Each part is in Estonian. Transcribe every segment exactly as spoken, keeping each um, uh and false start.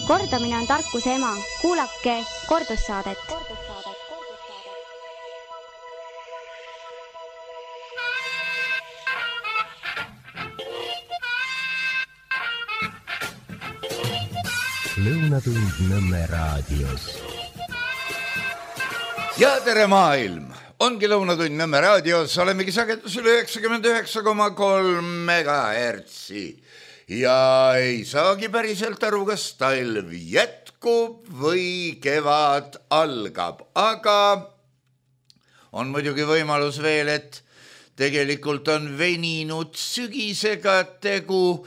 Kordamine on tarkuse ema. Kuulake kordussaadet. Lõunatund Nõmme raadios. Ja tere maailm! Ongi Lõunatund Nõmme raadios, olemegi sagedusel üheksakümmend üheksa koma kolm megahertsi. Ja ei saagi päriselt aru, kas talv jätkub või kevad algab. Aga on muidugi võimalus veel, et tegelikult on veninud sügisega tegu.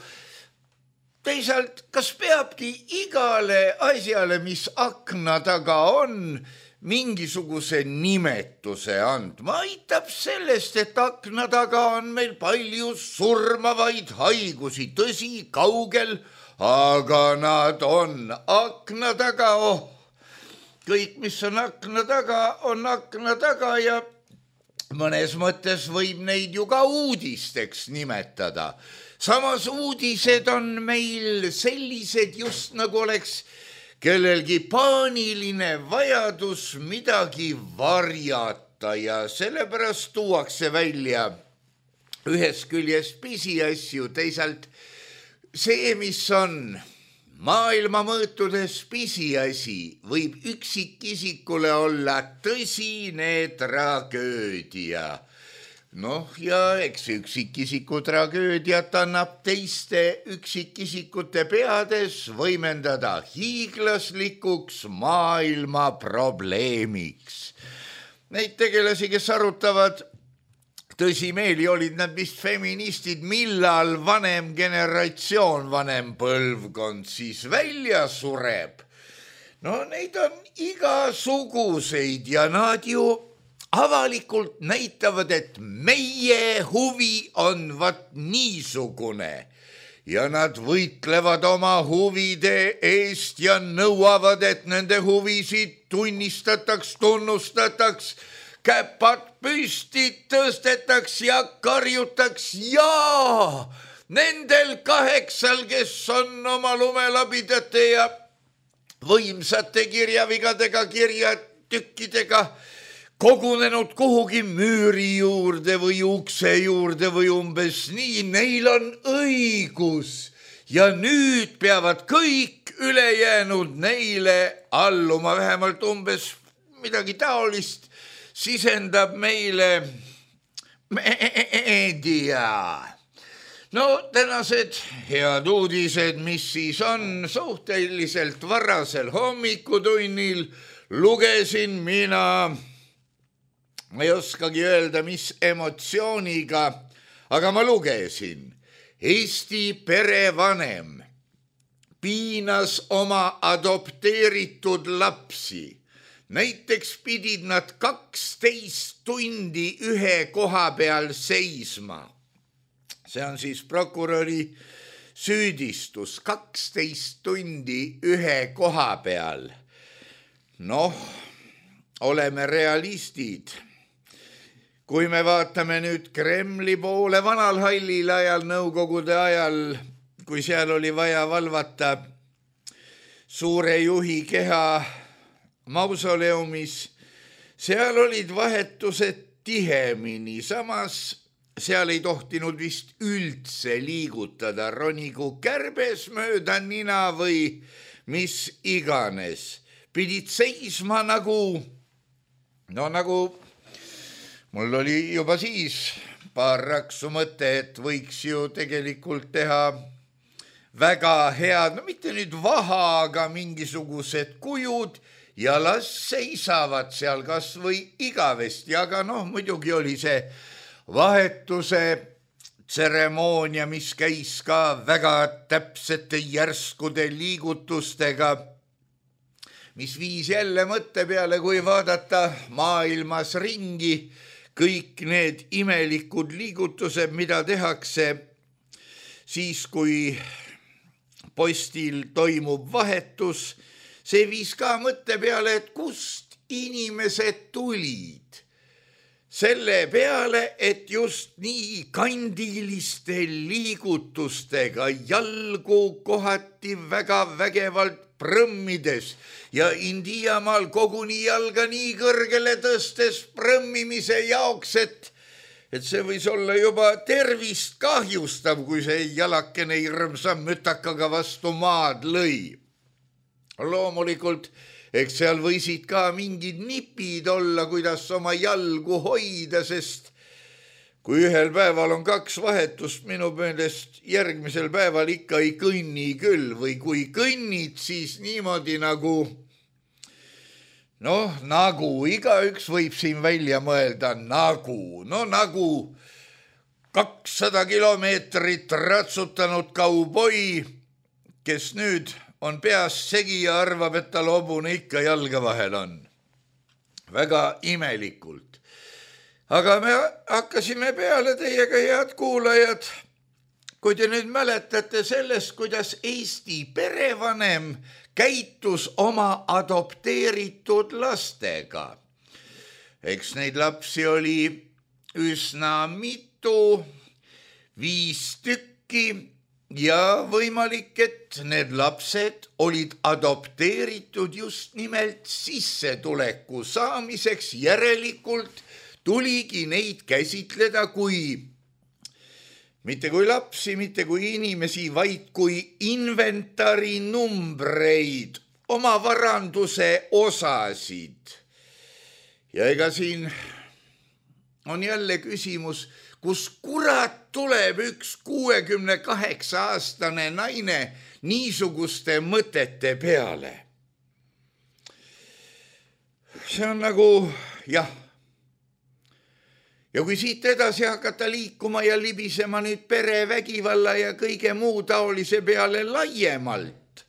Teisalt, kas peabki igale asjale, mis akna taga on, mingisuguse nimetuse andma? Aitab sellest, et akna taga on meil palju surmavaid haigusi, tõsi, kaugel, aga nad on akna taga. Oh, kõik, mis on akna taga, on akna taga ja mõnes mõttes võib neid ju ka uudisteks nimetada. Samas uudised on meil sellised, just nagu oleks kellelgi paaniline vajadus midagi varjata ja sellepärast tuuakse välja ühes küljes pisiasju, teisalt see, mis on maailma mõõtudes pisiasi, võib üksikisikule olla tõsine tragöödia. Noh, ja eks üksikisiku tragöödiat annab teiste üksikisikute peades võimendada hiiglaslikuks maailma probleemiks. Neid tegelasi, kes arutavad, tõsimeeli olid nad vist feministid, millal vanem generatsioon, vanem põlvkond siis välja sureb. No neid on igasuguseid ja nad ju avalikult näitavad, et meie huvi on vat niisugune ja nad võitlevad oma huvide eest ja nõuavad, et nende huvisid tunnistataks, tunnustataks, käpad püsti tõstetaks ja karjutaks. Jaa, nendel kaheksal, kes on oma lumelabidate ja võimsate kirjavigadega, kirjatükkidega kogunenud kuhugi müüri juurde või ukse juurde või umbes nii, neil on õigus ja nüüd peavad kõik ülejäänud neile alluma, vähemalt umbes midagi taolist sisendab meile meedia. No tänased head uudised, mis siis on suhteliselt varasel hommikutunnil, lugesin mina. Ma ei oskagi öelda, mis emotsiooniga, aga ma lugesin. Eesti perevanem piinas oma adopteeritud lapsi. Näiteks pidid nad kaksteist tundi ühe koha peal seisma. See on siis prokuröri süüdistus. kaksteist tundi ühe koha peal. Noh, oleme realistid. Kui me vaatame nüüd Kremli poole vanal hallil ajal, nõukogude ajal, kui seal oli vaja valvata suure juhi keha mausoleumis, seal olid vahetused tihemini, samas seal ei tohtinud vist üldse liigutada, ronigu kärbes mööda nina või mis iganes. Pidid seisma nagu, no nagu mul oli juba siis paar raksu mõte, et võiks ju tegelikult teha väga head, no mitte nüüd vaha, aga mingisugused kujud ja las seisavad seal kas või igavesti, aga noh, muidugi oli see vahetuse tseremoonia, mis käis ka väga täpsete järskude liigutustega, mis viis jälle mõtte peale, kui vaadata maailmas ringi, kõik need imelikud liigutused, mida tehakse siis, kui postil toimub vahetus, see viis ka mõtte peale, et kust inimesed tulid. Selle peale, et just nii kandiliste liigutustega jalgu kohati väga vägevalt prõmmides ja Indiamaal koguni jalga nii kõrgele tõstes prõmmimise jaoks, et, et see võis olla juba tervist kahjustav, kui see jalakene hirmsa mütakaga vastu maad lõi. Loomulikult, eks seal võisid ka mingid nipid olla, kuidas oma jalgu hoida, sest kui ühel päeval on kaks vahetust, minu meelest järgmisel päeval ikka ei kõnni küll või kui kõnnid, siis niimoodi nagu, noh, nagu igaüks võib siin välja mõelda, nagu, no nagu kakssada kilomeetrit ratsutanud kauboi, kes nüüd on peas segi ja arvab, et tal hobune ikka jalga vahel on. Väga imelikult. Aga me hakkasime peale teiega, head kuulajad, kui te nüüd mäletate sellest, kuidas Eesti perevanem käitus oma adopteeritud lastega. Eks neid lapsi oli üsna mitu, viis tükki ja võimalik, et need lapsed olid adopteeritud just nimelt sissetuleku saamiseks, järelikult tuligi neid käsitleda kui, mitte kui lapsi, mitte kui inimesi, vaid kui inventari numbreid, oma varanduse osasid. Ja ega siin on jälle küsimus, kus kurat tuleb üks kuuekümne kaheksa aastane naine niisuguste mõtete peale. See on nagu, jah, ja kui siit edasi hakata liikuma ja libisema nüüd perevägivalla ja kõige muu taolise peale laiemalt,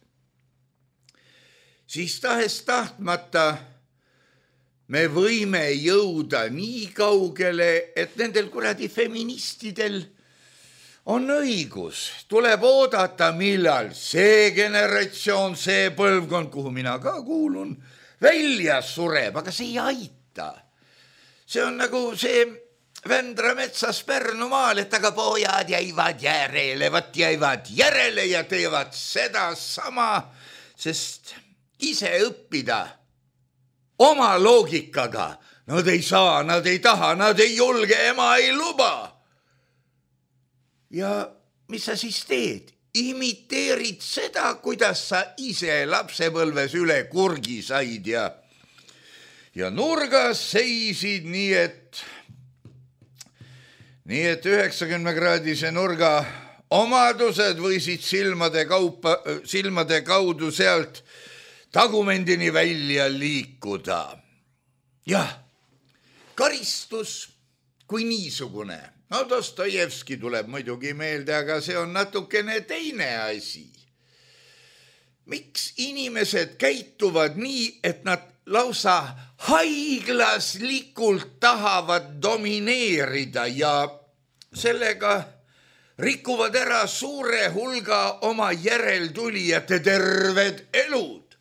siis tahes tahtmata me võime jõuda nii kaugele, et nendel kuradi feministidel on õigus. Tuleb oodata, millal see generatsioon, see põlvkond, kuhu mina ka kuulun, välja sureb, aga see ei aita. See on nagu see Vändra metsas Pärnumaal, et aga pojad jäivad järele, vat jäivad järele ja teevad seda sama, sest ise õppida oma loogikaga nad ei saa, nad ei taha, nad ei julge, ema ei luba. Ja mis sa siis teed? Imiteerid seda, kuidas sa ise lapsepõlves üle kurgi said ja, ja nurgas seisid nii, et nii et üheksakümne kraadise nurga omadused võisid silmade, kaupa, silmade kaudu sealt tagumendini välja liikuda. Jah, karistus kui niisugune. No Dostojevski tuleb muidugi meelde, aga see on natukene teine asi. Miks inimesed käituvad nii, et nad lausa haiglaslikult tahavad domineerida ja sellega rikuvad ära suure hulga oma järeltulijate terved elud,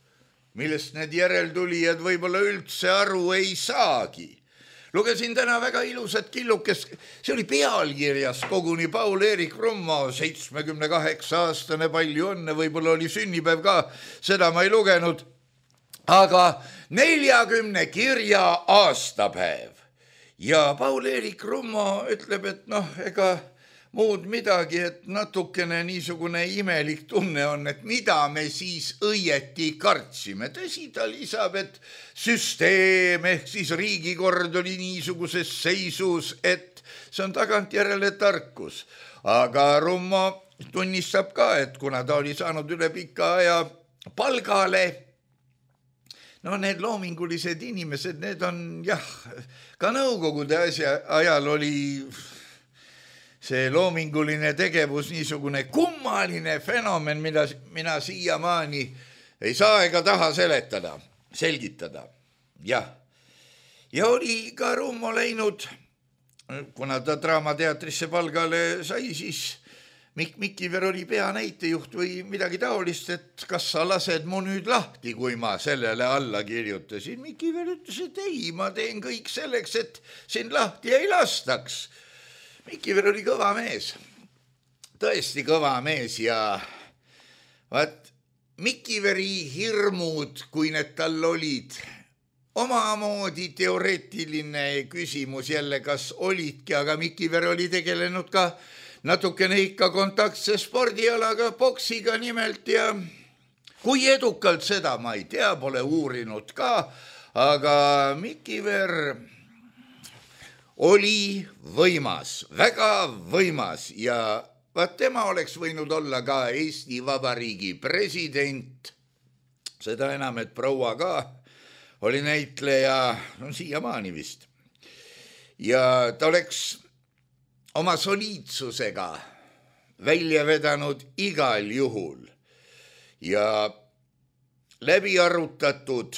millest need järeltulijad võib-olla üldse aru ei saagi. Lugesin täna väga ilusat killukest, see oli pealkirjas koguni Paul-Eerik Rummo, seitsmekümne kaheksa aastane, palju õnne, võib-olla oli sünnipäev ka, seda ma ei lugenud, aga neljakümne kirja aastapäev. Ja Paul-Eerik Rummo ütleb, et noh, ega muud midagi, et natukene niisugune imelik tunne on, et mida me siis õieti kartsime. Tõsi, ta lisab, et süsteem ehk siis riigikord oli niisuguses seisus, et see on tagantjärele tarkus. Aga Rummo tunnistab ka, et kuna ta oli saanud üle pika aja palgale, no need loomingulised inimesed, need on jah, ka nõukogude asja, ajal oli see loominguline tegevus niisugune kummaline fenomen, mida mina siiamaani ei saa ega taha seletada, selgitada. Jah. Ja oli ka Rummo läinud, kuna ta Draamateatrisse palgale sai, siis Mikk Mikiver oli peanäitejuht või midagi taolist, et kas sa lased mu nüüd lahti, kui ma sellele alla kirjutasin. Mikiver ütles, et ei, ma teen kõik selleks, et sind lahti ei lastaks. Mikiver oli kõva mees, tõesti kõva mees ja vaat Mikiveri hirmud, kui need tal olid, omamoodi teoreetiline küsimus jälle, kas olidki, aga Mikiver oli tegelenud ka natukene ikka kontaktse spordialaga, boksiga nimelt ja kui edukalt seda ma ei tea, pole uurinud ka, aga Mikiver oli võimas, väga võimas ja vaat tema oleks võinud olla ka Eesti Vabariigi president, seda enam, et proua ka oli näitleja, no siiamaani vist. Ja ta oleks oma soliidsusega välja vedanud igal juhul ja läbi arutatud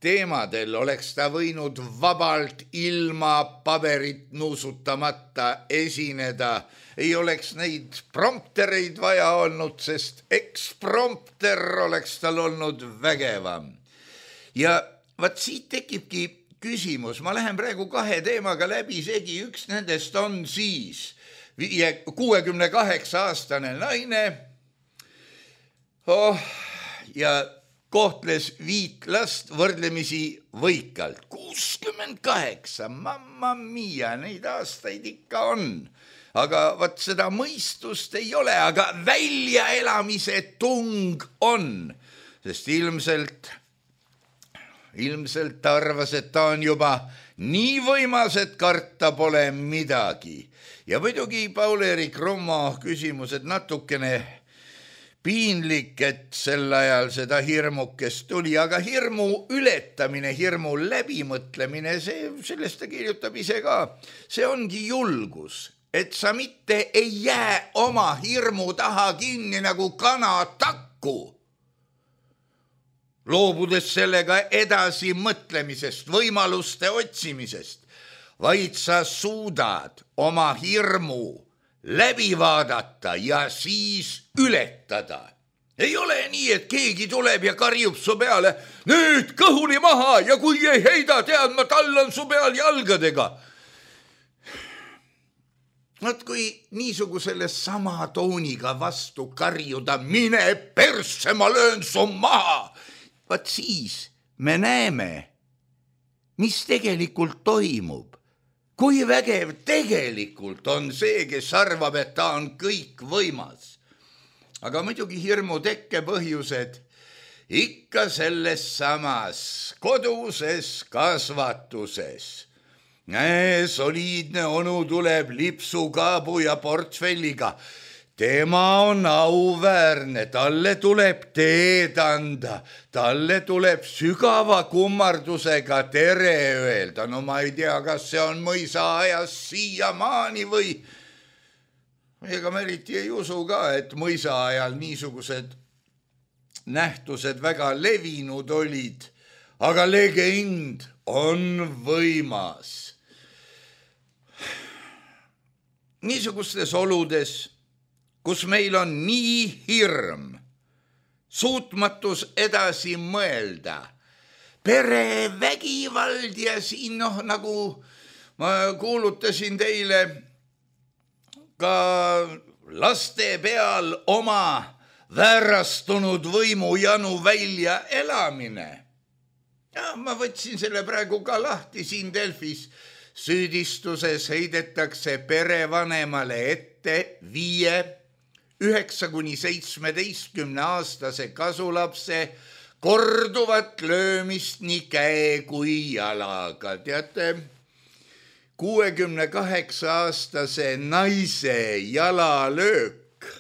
teemadel oleks ta võinud vabalt ilma paberit nuusutamata esineda. Ei oleks neid promptereid vaja olnud, sest eksprompter oleks tal olnud vägevam. Ja vaat siit tekibki küsimus, ma lähen praegu kahe teemaga läbi segi, üks nendest on siis kuuekümne kaheksa aastane naine oh, ja kohtles viit last võrdlemisi võikalt. kuuskümmend kaheksa, mamma mia, neid aastaid ikka on. Aga vaat seda mõistust ei ole, aga väljaelamise tung on, sest ilmselt, ilmselt ta arvas, et ta on juba nii võimas, et karta pole midagi. Ja muidugi Paul-Eerik Rummo küsimus, et natukene piinlik, et sel ajal seda hirmukest tuli, aga hirmu ületamine, hirmu läbimõtlemine, see, sellest ta kirjutab ise ka, see ongi julgus. Et sa mitte ei jää oma hirmu taha kinni nagu kana takku, loobudes sellega edasi mõtlemisest, võimaluste otsimisest, vaid sa suudad oma hirmu läbi vaadata ja siis ületada. Ei ole nii, et keegi tuleb ja karjub su peale, nüüd kõhuli maha ja kui ei heida, tead ma, tallan su peal jalgadega. Nad kui niisugusele sama tooniga vastu karjuda, mine persse, ma löön su maha. Vaat siis me näeme, mis tegelikult toimub. Kui vägev tegelikult on see, kes arvab, et ta on kõik võimas. Aga muidugi hirmu tekke põhjused ikka selles samas koduses kasvatuses. Soliidne onu tuleb lipsukaabu ja portfelliga. Tema on auväärne, talle tuleb teed anda, talle tuleb sügava kummardusega tere öelda. No ma ei tea, kas see on mõisa ajas siiamaani või ega ma eriti ei usu ka, et mõisa ajal niisugused nähtused väga levinud olid, aga legend on võimas. Niisugustes oludes, kus meil on nii hirm, suutmatus edasi mõelda, perevägivald ja siin noh, nagu ma kuulutasin teile ka laste peal oma väärastunud võimujanu välja elamine. Ja ma võtsin selle praegu ka lahti siin Delfis. Süüdistuses heidetakse perevanemale ette viie, üheksa kuni seitsmeteistkümne aastase kasulapse korduvat löömist nii käe kui jalaga. Teate, kuuekümne kaheksa aastase naise jalalöök.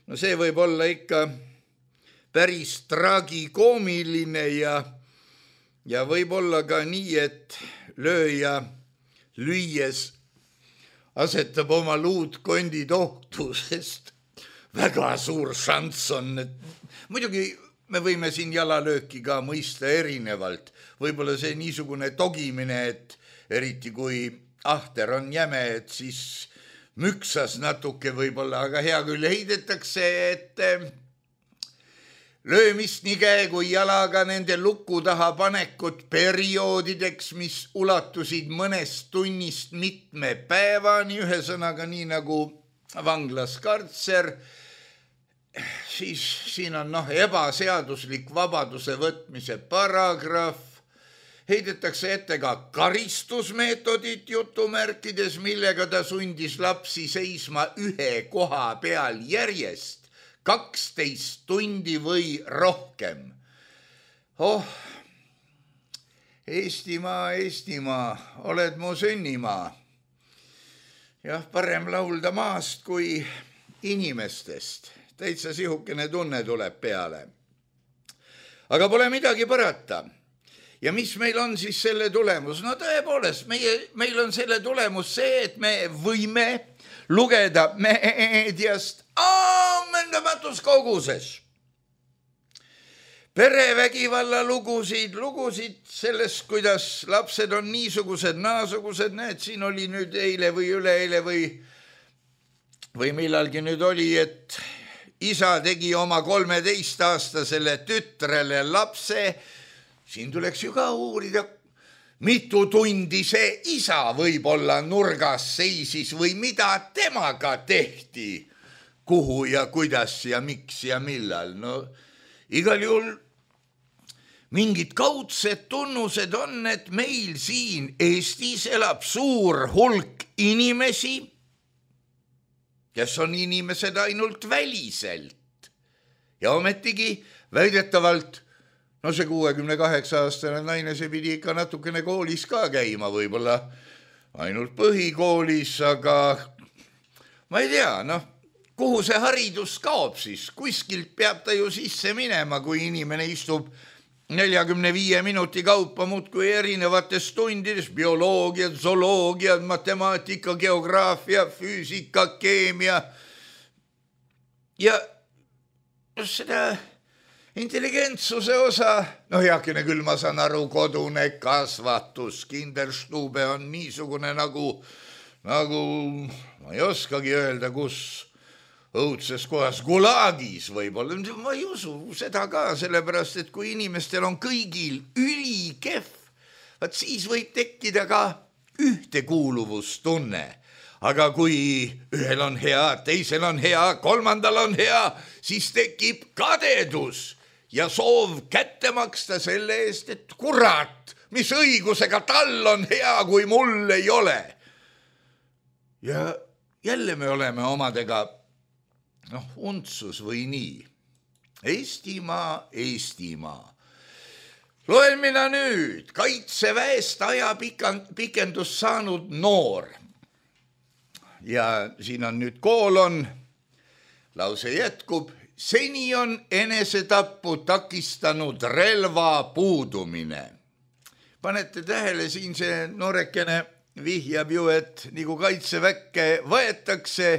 No see võib olla ikka päris tragikoomiline ja Ja võib olla ka nii, et lööja lüües asetab oma luud kondid ohtu, sest väga suur šanss on. Muidugi me võime siin jalalööki ka mõista erinevalt. Võib-olla see niisugune togimine, et eriti kui ahter on jäme, et siis müksas natuke võib-olla, aga hea küll heidetakse, et löömist nii käe kui jalaga nende luku taha panekut perioodideks, mis ulatusid mõnest tunnist mitme päevani, ühesõnaga nii nagu vanglas kartser, siis siin on noh, ebaseaduslik vabaduse võtmise paragrahv, heidetakse ette ka karistusmeetodit jutumärkides, millega ta sundis lapsi seisma ühe koha peal järjest kaksteist tundi või rohkem. Oh, Eestimaa, Eestimaa, oled mu sünnimaa. Jah, parem laulda maast kui inimestest. Täitsa sihukene tunne tuleb peale. Aga pole midagi parata. Ja mis meil on siis selle tulemus? No tõepoolest, meie, meil on selle tulemus see, et me võime lugeda meediast ammendamatus koguses perevägivalla lugusid, lugusid sellest, kuidas lapsed on niisugused, naasugused, näed, siin oli nüüd eile või üleeile või, või millalgi nüüd oli, et isa tegi oma kolmeteistaastasele tütrele lapse. Siin tuleks ju ka uurida, mitu tundi see isa võib-olla nurgas seisis või mida temaga tehti, kuhu ja kuidas ja miks ja millal. No igal juhul mingid kaudsed tunnused on, et meil siin Eestis elab suur hulk inimesi, kes on inimesed ainult väliselt. Ja ometigi väidetavalt, no see kuuekümne kaheksa aastane naine, see pidi ikka natukene koolis ka käima, võib-olla ainult põhikoolis, aga ma ei tea, noh, kuhu see haridus kaob siis? Kuskilt peab ta ju sisse minema, kui inimene istub neljakümne viie minuti kaupa muudkui erinevates tundides, bioloogiad, zooloogiad, matemaatika, geograafia, füüsika, keemia. Ja seda intelligentsuse osa, no heakene küll, ma saan aru, kodune kasvatus, Kinderstube on niisugune nagu, nagu ma ei oskagi öelda, kus õudses kohas, Gulagis võib-olla, ma ei usu seda ka, sellepärast, et kui inimestel on kõigil ülikehv, vaat siis võib tekkida ka ühtekuuluvustunne. Aga kui ühel on hea, teisel on hea, kolmandal on hea, siis tekib kadedus ja soov kätte maksta selle eest, et kurat, mis õigusega tal on hea, kui mul ei ole. Ja jälle me oleme omadega noh, untsus või nii. Eestimaa, Eestimaa. Loen mina nüüd kaitseväest aja pikendus saanud noor. Ja siin on nüüd koolon, lause jätkub, seni on enesetappu takistanud relva puudumine. Panete tähele, siin see noorekene vihjab ju, et nagu kaitseväkke võetakse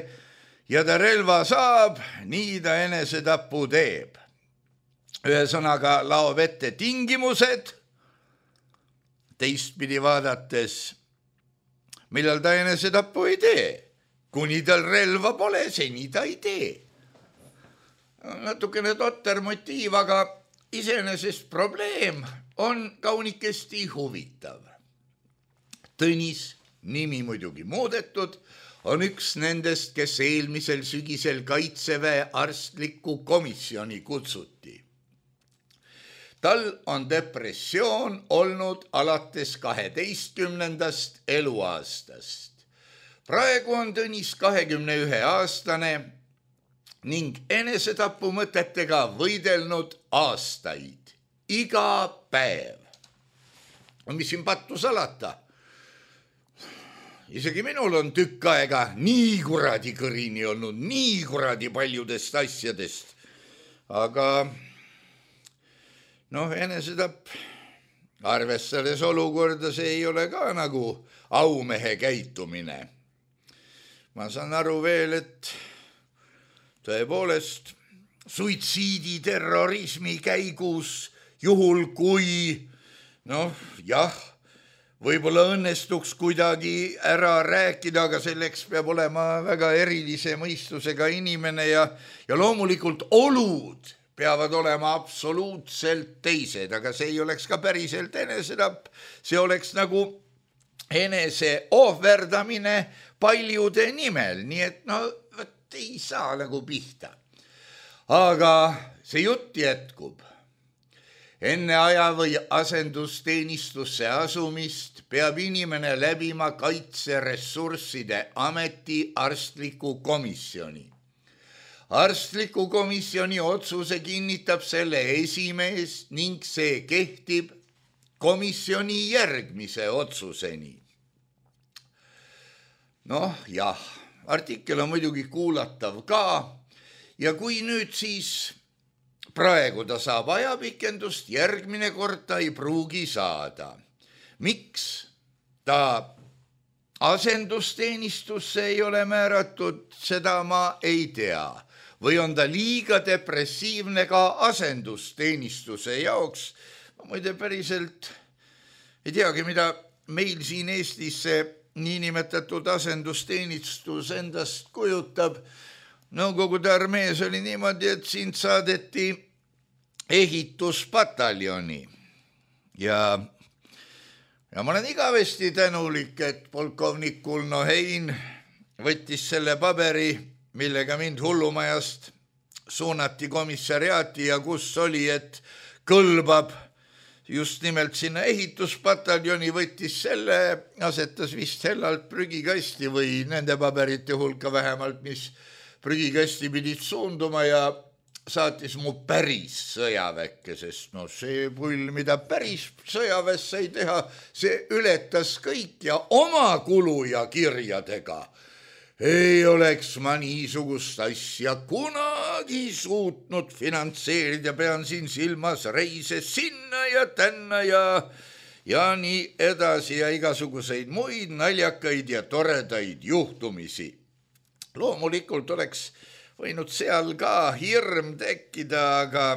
ja ta relva saab, nii ta enesetapu teeb. Ühesõnaga laob ette tingimused, teistpidi vaadates, millal ta enesetapu ei tee. Kuni tal relva pole, seni ta ei tee. Natukene totter motiiv, aga iseenesest probleem on kaunikesti huvitav. Tõnis, nimi muidugi muudetud, on üks nendest, kes eelmisel sügisel kaitseväe arstliku komisjoni kutsuti. Tal on depressioon olnud alates kaheteistkümnendast eluaastast. Praegu on Tõnis kahekümne ühe aastane ning enesetapu mõtetega võidelnud aastaid, iga päev. Mis siin pattu salata? Isegi minul on tükk aega nii kuradi kõrini olnud, nii kuradi paljudest asjadest. Aga noh, enesetapp, arvestades olukorda, see ei ole ka nagu aumehe käitumine. Ma saan aru veel, et tõepoolest suitsiidi terrorismi käigus, juhul kui, noh, jah, võib-olla õnnestuks kuidagi ära rääkida, aga selleks peab olema väga erilise mõistusega inimene ja, ja loomulikult olud peavad olema absoluutselt teised, aga see ei oleks ka päriselt enesetapp, see oleks nagu enese ohverdamine paljude nimel, nii et no võt, ei saa nagu pihta. Aga see jutt jätkub. Enne aja või asendusteenistusse asumist peab inimene läbima kaitseressursside ameti arstliku komisjoni. Arstliku komisjoni otsuse kinnitab selle esimees ning see kehtib komisjoni järgmise otsuseni. Noh, jah, artikkel on muidugi kuulatav ka ja kui nüüd siis praegu ta saab ajapikendust, järgmine kord ta ei pruugi saada. Miks ta asendusteenistusse ei ole määratud, seda ma ei tea. Või on ta liiga depressiivne ka asendusteenistuse jaoks. Ma muide päriselt ei teagi, mida meil siin Eestis see niinimetatud asendusteenistus endast kujutab. Nõukogude armees oli niimoodi, et sind saadeti ehituspataljoni ja, ja ma olen igavesti tänulik, et polkovnik Kulno Hein võttis selle paberi, millega mind hullumajast suunati komissariaati ja kus oli, et kõlbab just nimelt sinna ehituspataljoni, võttis selle, asetas vist hellalt prügikasti või nende paberite hulka vähemalt, mis prügikasti pidid suunduma ja saatis mu päris sõjaväkke, sest no see pull, mida päris sõjaväes sai teha, see ületas kõik ja oma kulu ja kirjadega ei oleks ma niisugust asja kunagi suutnud finantseerida, pean siin silmas reise sinna ja tänna ja, ja nii edasi ja igasuguseid muid naljakaid ja toredaid juhtumisi. Loomulikult oleks võinud seal ka hirm tekkida, aga,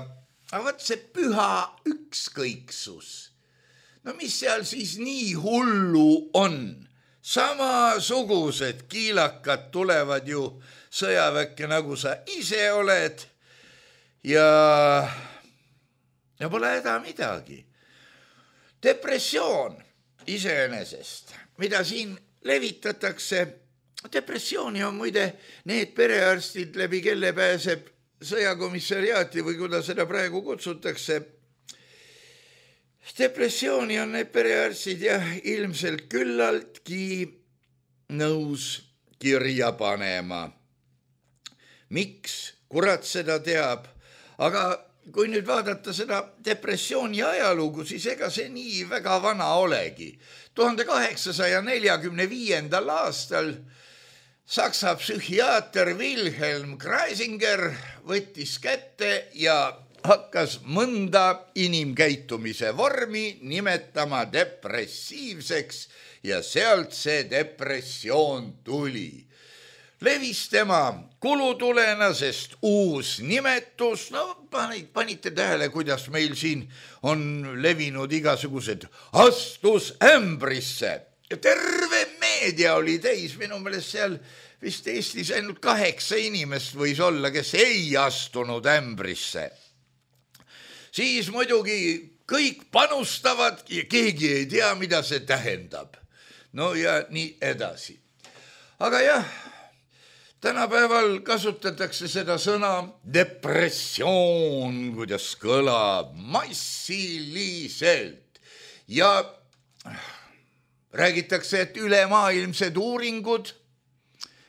aga võt see püha ükskõiksus. No mis seal siis nii hullu on? Samasugused kiilakad tulevad ju sõjaväkke, nagu sa ise oled ja, ja pole häda midagi. Depressioon iseenesest, mida siin levitatakse, depressiooni on muide need perearstid, läbi kelle pääseb sõjakomissariaati või kuidas seda praegu kutsutakse. Depressiooni on need perearstid ja ilmselt küllaltki nõus kirja panema. Miks? Kurat seda teab. Aga kui nüüd vaadata seda depressiooni ajalugu, siis ega see nii väga vana olegi. tuhande kaheksasaja neljakümne viiendal aastal Saksa psühhiaater Wilhelm Kreisinger võttis kätte ja hakkas mõnda inimkäitumise vormi nimetama depressiivseks ja sealt see depressioon tuli. Levis tema kulutulena, sest uus nimetus, no panite tähele, kuidas meil siin on levinud igasugused astusämbrisse. Terve meedia oli täis, minu meelest seal vist Eestis ainult kaheksa inimest võis olla, kes ei astunud ämbrisse. Siis muidugi kõik panustavad ja keegi ei tea, mida see tähendab. No ja nii edasi. Aga jah, tänapäeval kasutatakse seda sõna depressioon, kuidas kõlab massiliselt ja räägitakse, et ülemaailmsed uuringud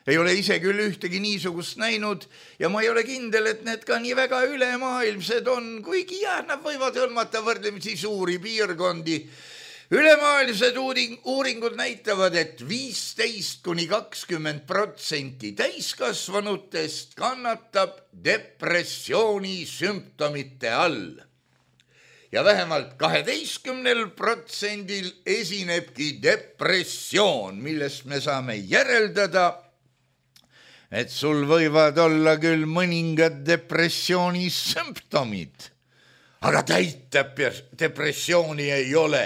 ei ole ise küll ühtegi niisugust näinud ja ma ei ole kindel, et need ka nii väga ülemaailmsed on, kuigi jah, nad võivad hõlmata võrdlemisi suuri piirkondi. Ülemaailmsed uuringud näitavad, et viisteist kuni kakskümmend protsenti täiskasvanutest kannatab depressiooni sümptomite all. Ja vähemalt kaheteistkümnel protsendil esinebki depressioon, millest me saame järeldada, et sul võivad olla küll mõningad depressiooni sümptomid, aga täit depressiooni ei ole.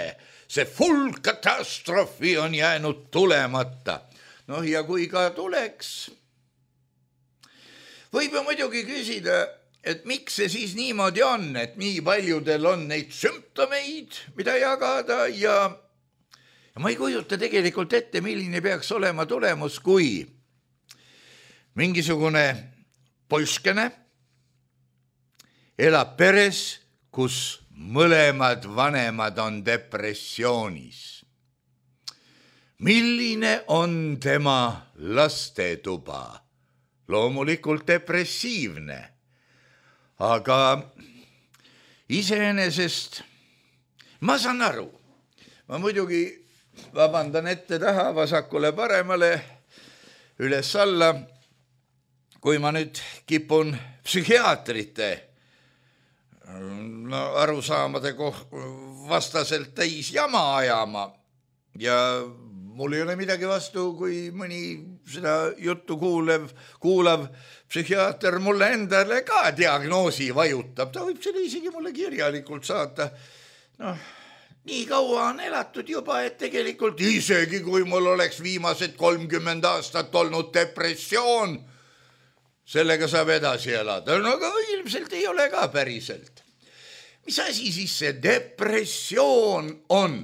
See full katastroofi on jäänud tulemata. Noh, ja kui ka tuleks, võib ju muidugi küsida, et miks see siis niimoodi on, et nii paljudel on neid sümptomeid, mida jagada ja, ja ma ei kujuta tegelikult ette, milline peaks olema tulemus, kui mingisugune poiskene elab peres, kus mõlemad vanemad on depressioonis. Milline on tema lastetuba? Loomulikult depressiivne, aga iseenesest ma saan aru. Ma muidugi vabandan ette taha, vasakule paremale, üles alla, kui ma nüüd kipun psühhiaatrite no, arusaamade koh- vastaselt täis jama ajama ja mul ei ole midagi vastu, kui mõni seda juttu kuulev, kuulav psühhiaater mulle endale ka diagnoosi vajutab. Ta võib selle isegi mulle kirjalikult saata. Noh, nii kaua on elatud juba, et tegelikult isegi kui mul oleks viimased kolmkümmend aastat olnud depressioon, sellega saab edasi elada. No aga ilmselt ei ole ka päriselt. Mis asi siis see depressioon on?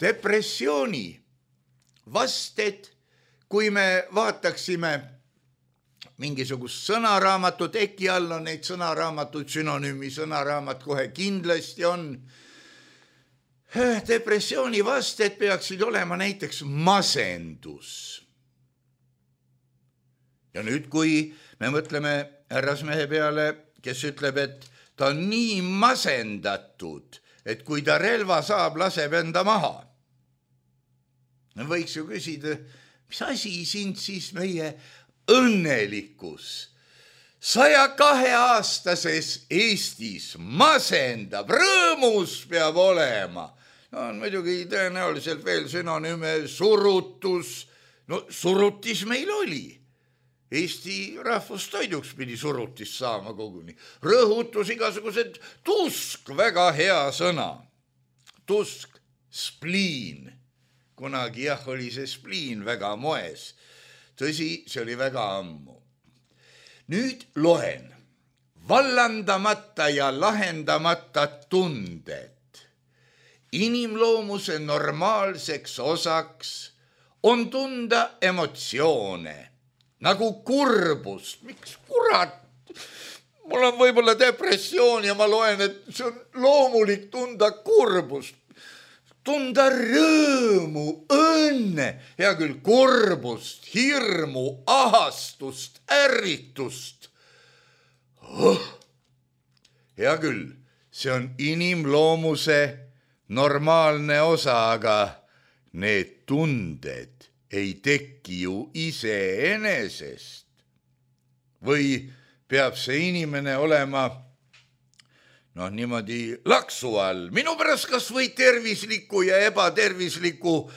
Depressiooni vasted, kui me vaataksime mingisugust sõnaraamatut, äkki all on neid sõnaraamatud, sünonüümi sõnaraamat kohe kindlasti on. Depressiooni vasted peaksid olema näiteks masendus. Ja nüüd, kui me mõtleme härrasmehe peale, kes ütleb, et ta on nii masendatud, et kui ta relva saab, laseb enda maha. Võiks ju küsida, mis asi sind siis meie õnnelikus saja kahe aastases Eestis masendab, rõõmus peab olema. No on muidugi tõenäoliselt veel sünonüüme surutus. No surutis meil oli. Eesti rahvustoiduks pidi surutis saama koguni. Rõhutus igasugused tusk, väga hea sõna. Tusk, spliin. Kunagi jah, oli see spliin väga moes. Tõsi, see oli väga ammu. Nüüd loen. Vallandamata ja lahendamata tunded. Inimloomuse normaalseks osaks on tunda emotsioone, nagu kurbust. Miks kurat? Mul on võib-olla depressioon ja ma loen, et see on loomulik tunda kurbust. Tunda rõõmu, õnne, hea küll kurbust, hirmu, ahastust, ärritust. Oh, hea küll, see on inimloomuse normaalne osa, aga need tunded ei teki ju iseenesest. Või peab see inimene olema noh, niimoodi laksu all. Minu pärast kas või tervisliku ja ebatervisliku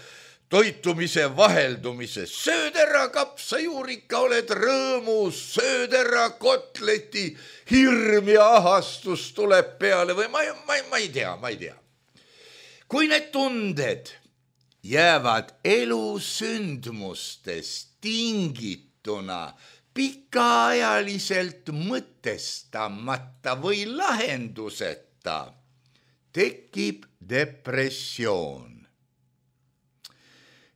toitumise vaheldumise. Sööd ära kapsajuurika, oled rõõmus, sööd ära kotleti, hirm ja ahastus tuleb peale või ma, ma, ma ei tea, ma ei tea. Kui need tunded jäävad elusündmustest tingituna pikaajaliselt mõtestamata või lahenduseta, tekib depressioon.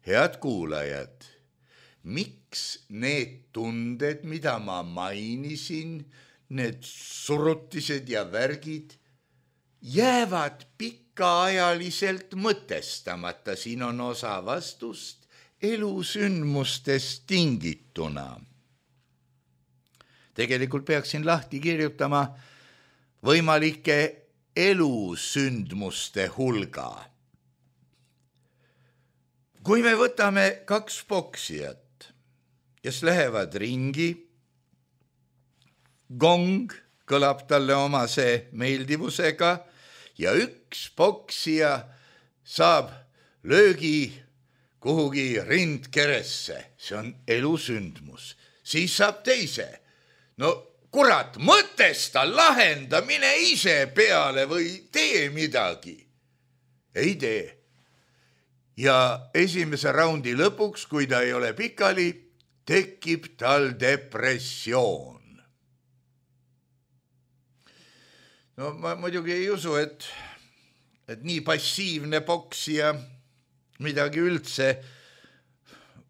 Head kuulajad, miks need tunded, mida ma mainisin, need surutised ja värgid, jäävad pikaajaliselt mõtestamata? Siin on osa vastust elusündmustest tingituna. Tegelikult peaksin lahti kirjutama võimalike elusündmuste hulga. Kui me võtame kaks poksijat, kes lähevad ringi, gong kõlab talle omase meeldivusega ja üks poksija saab löögi kuhugi rindkeresse. See on elusündmus. Siis saab teise. No kurat, mõtesta, lahenda, mine ise peale või tee midagi. Ei tee. Ja esimese raundi lõpuks, kui ta ei ole pikali, tekib tal depressioon. No ma muidugi ei usu, et, et nii passiivne poksija midagi üldse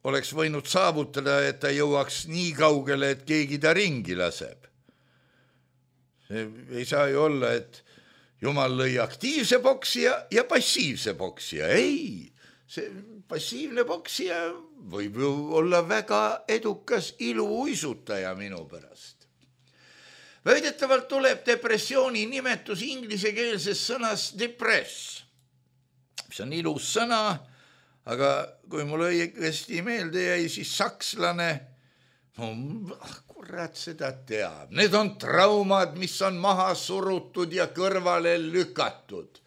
oleks võinud saavutada, et ta jõuaks nii kaugele, et keegi ta ringi laseb. ei saa ju olla, et Jumal lõi aktiivse poksija ja passiivse poksija. Ei, see passiivne poksija võib ju olla väga edukas iluuisutaja minu pärast. Väidetavalt tuleb depressiooni nimetus inglisekeelses sõnas depress. See on ilus sõna, aga kui mul õigesti meelde jäi, siis sakslane, no kurat seda teab. Need on traumad, mis on maha surutud ja kõrvale lükatud.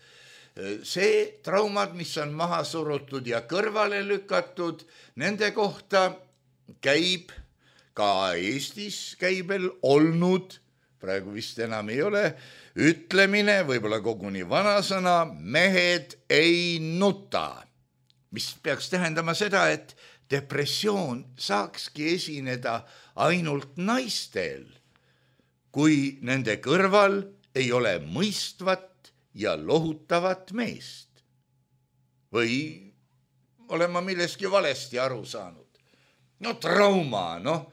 See traumad, mis on maha surutud ja kõrvale lükatud, nende kohta käib ka Eestis käibel olnud, praegu vist enam ei ole, ütlemine, võib-olla koguni vanasõna, mehed ei nuta. Mis peaks tähendama seda, et depressioon saakski esineda ainult naistel, kui nende kõrval ei ole mõistvat ja lohutavat meest. Või olen ma milleski valesti aru saanud? No trauma, noh.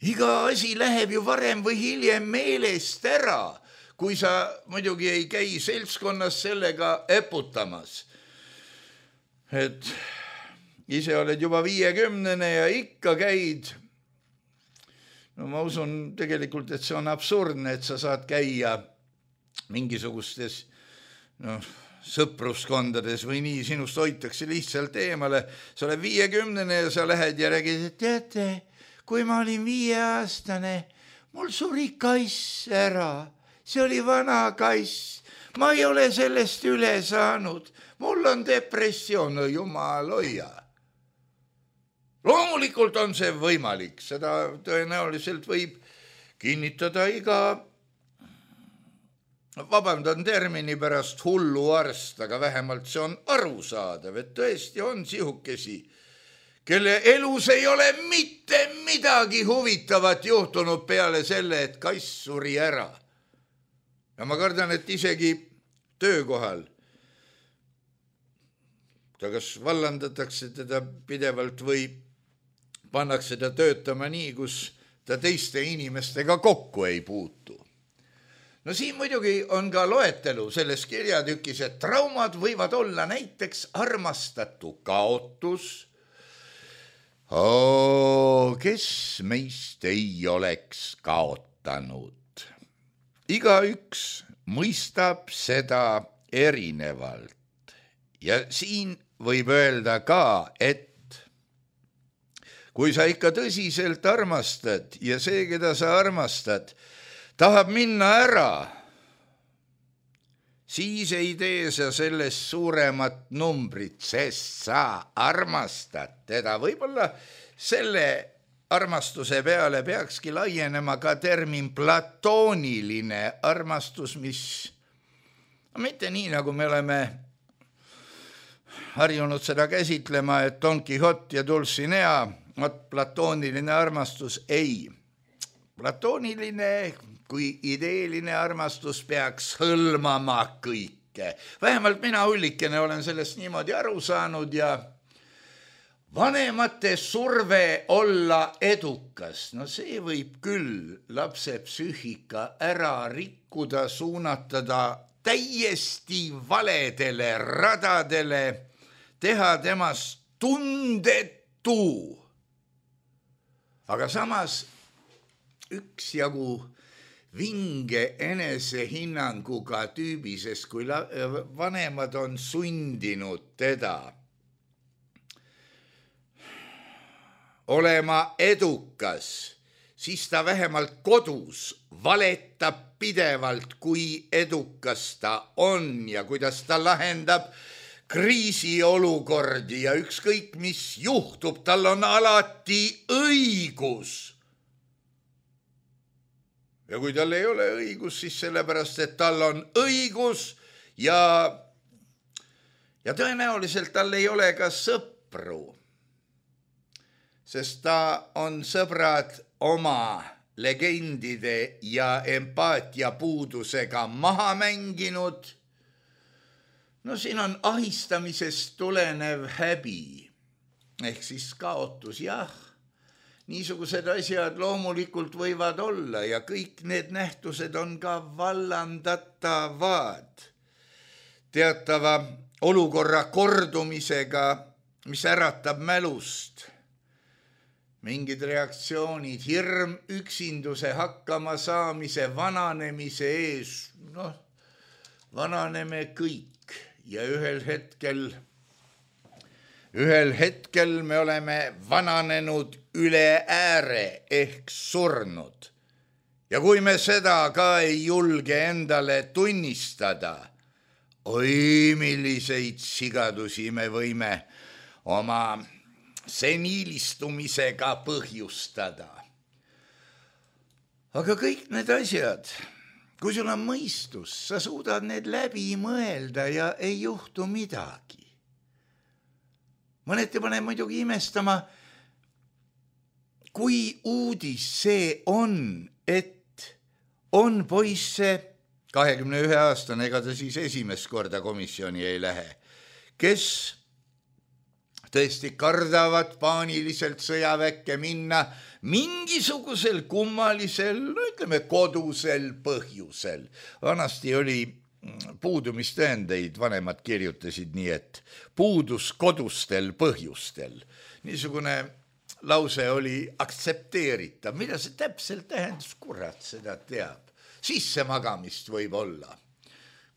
Iga asi läheb ju varem või hiljem meelest ära, kui sa muidugi ei käi seltskonnas sellega eputamas. Et ise oled juba viiekümnene ja ikka käid. No ma usun tegelikult, et see on absurdne, et sa saad käia mingisugustes no, sõpruskondades või nii, sinust hoitakse lihtsalt eemale. Sa oled viiekümnene ja sa lähed ja räägid, et teate, kui ma olin viieaastane, mul suri kass ära. See oli vana kass. Ma ei ole sellest üle saanud. Mul on depressioon, no jumal hoia. Loomulikult on see võimalik, seda tõenäoliselt võib kinnitada iga, vabandan termini pärast hullu arst, aga vähemalt see on arusaadav, et tõesti on sihukesi, kelle elus ei ole mitte midagi huvitavat juhtunud peale selle, et kass suri ära. Ja ma kardan, et isegi töökohal ta kas vallandatakse teda pidevalt või pannakse ta töötama nii, kus ta teiste inimestega kokku ei puutu. No siin muidugi on ka loetelu selles kirjatükis, et traumad võivad olla näiteks armastatu kaotus. Oo, kes meist ei oleks kaotanud? Igaüks mõistab seda erinevalt. Ja siin võib öelda ka, et kui sa ikka tõsiselt armastad ja see, keda sa armastad, tahab minna ära, siis ei tee sa sellest suuremat numbrit, sest sa armastad teda. Võib-olla selle armastuse peale peakski laienema ka termin platooniline armastus, mis mitte nii, nagu me oleme harjunud seda käsitlema, et Don Quixote ja Dulcinea, vat platooniline armastus ei. Platooniline kui ideeline armastus peaks hõlmama kõike. Vähemalt mina Ullikene olen sellest niimoodi aru saanud ja vanemate surve olla edukas. No see võib küll lapse psüühika ära rikkuda, suunatada täiesti valedele radadele, teha temast tundetu. Aga samas üksjagu vinge enesehinnanguga tüübi, sest kui vanemad on sundinud teda olema edukas, siis ta vähemalt kodus valetab pidevalt, kui edukas ta on ja kuidas ta lahendab kriisiolukordi ja ükskõik mis juhtub, tal on alati õigus. Ja kui tal ei ole õigus, siis sellepärast, et tal on õigus ja, ja tõenäoliselt tal ei ole ka sõpru, sest ta on sõbrad oma legendide ja empaatia puudusega maha mänginud. No siin on ahistamisest tulenev häbi, ehk siis kaotus, jah. niisugused asjad loomulikult võivad olla ja kõik need nähtused on ka vallandatavad teatava olukorra kordumisega, mis äratab mälust. Mingid reaktsioonid, hirm, üksinduse hakkama saamise, vananemise ees, noh, vananeme kõik ja ühel hetkel Ühel hetkel me oleme vananenud üle ääre ehk surnud. Ja kui me seda ka ei julge endale tunnistada, oi, milliseid sigadusi me võime oma seniilistumisega põhjustada. Aga kõik need asjad, kui sul on mõistus, sa suudad need läbi mõelda ja ei juhtu midagi. Mõneti paneb muidugi imestama, kui uudis see on, et on poisse kahekümne ühe aastane, ega ta siis esimest korda komisjoni ei lähe, kes tõesti kardavad paaniliselt sõjaväkke minna mingisugusel kummalisel, no ütleme kodusel põhjusel. Vanasti oli puudumistõendeid, vanemad kirjutasid nii, et puudus kodustel põhjustel. Niisugune lause oli aktsepteeritav. Mida see täpselt tähendus? Kurat, seda teab. Sissemagamist võib olla.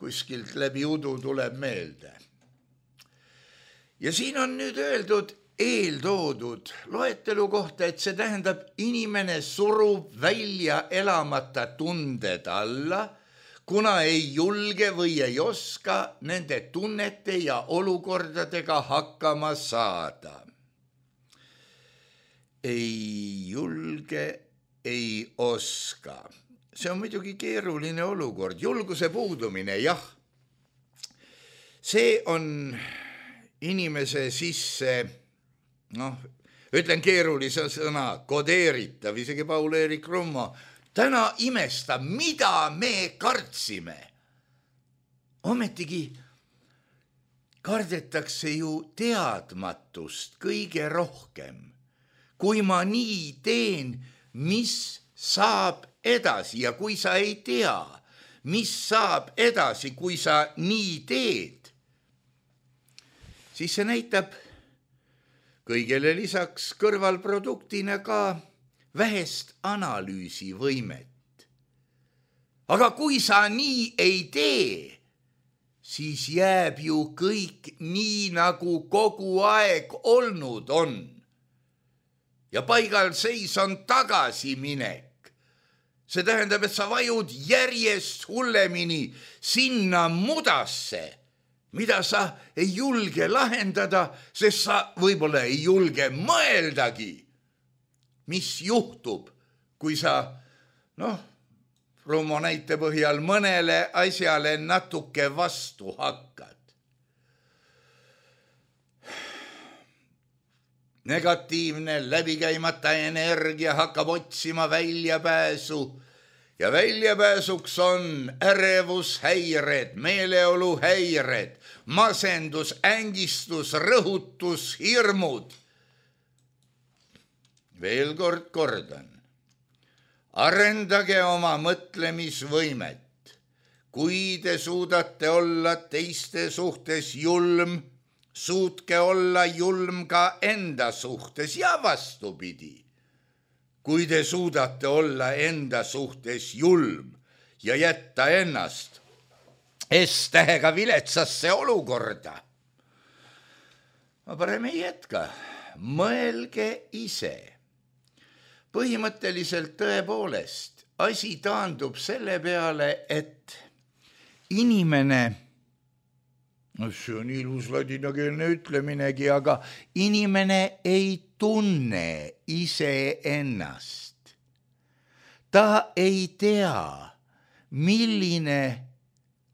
Kuskilt läbi udu tuleb meelde. Ja siin on nüüd öeldud eeltoodud loetelu kohta, et see tähendab, inimene surub välja elamata tunded alla, kuna ei julge või ei oska nende tunnete ja olukordadega hakkama saada. Ei julge, ei oska. See on muidugi keeruline olukord. Julguse puudumine, jah. See on inimese sisse, noh, ütlen keerulise sõna, kodeeritav, isegi Paul-Eerik Rummo, täna imestab, mida me kartsime. Ometigi kardetakse ju teadmatust kõige rohkem. Kui ma nii teen, mis saab edasi ja kui sa ei tea, mis saab edasi, kui sa nii teed, siis see näitab kõigele lisaks kõrvalproduktina ka vähest analüüsivõimet. Aga kui sa nii ei tee, siis jääb ju kõik nii, nagu kogu aeg olnud on. Ja paigal seis on tagasiminek. See tähendab, et sa vajud järjest hullemini sinna mudasse, mida sa ei julge lahendada, sest sa võib-olla ei julge mõeldagi, mis juhtub, kui sa, noh, Rummo näite põhjal mõnele asjale natuke vastu hakkad. Negatiivne läbikäimata energia hakkab otsima väljapääsu ja väljapääsuks on ärevushäired, meeleoluhäired, masendus, ängistus, rõhutus, hirmud. Veel kord kordan, arendage oma mõtlemisvõimet. Kui te suudate olla teiste suhtes julm, suutke olla julm ka enda suhtes ja vastupidi. Kui te suudate olla enda suhtes julm ja jätta ennast S-tähega viletsasse olukorda, ma parem ei jätka, mõelge ise. Põhimõtteliselt tõepoolest asi taandub selle peale, et inimene, no see on ilus ladinakeelne ütleminegi, aga inimene ei tunne iseennast. Ta ei tea, milline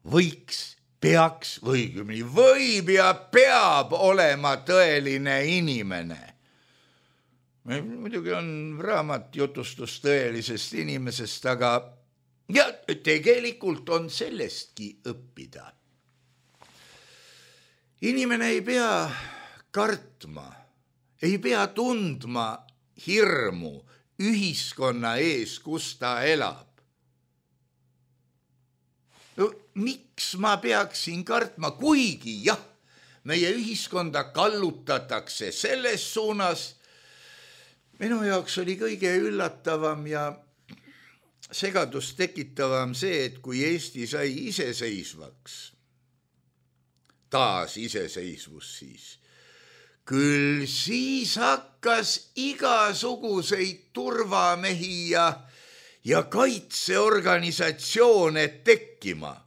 võiks, peaks või võib ja peab olema tõeline inimene. Muidugi on raamat jutustus tõelisest inimesest, aga ja tegelikult on sellestki õppida. Inimene ei pea kartma, ei pea tundma hirmu ühiskonna ees, kus ta elab. No, miks ma peaksin kartma, kuigi jah, meie ühiskonda kallutatakse selles suunas. Minu jaoks oli kõige üllatavam ja segadust tekitavam see, et kui Eesti sai iseseisvaks, taas iseseisvus siis, küll siis hakkas igasuguseid turvamehi ja, ja kaitseorganisatsioone tekkima.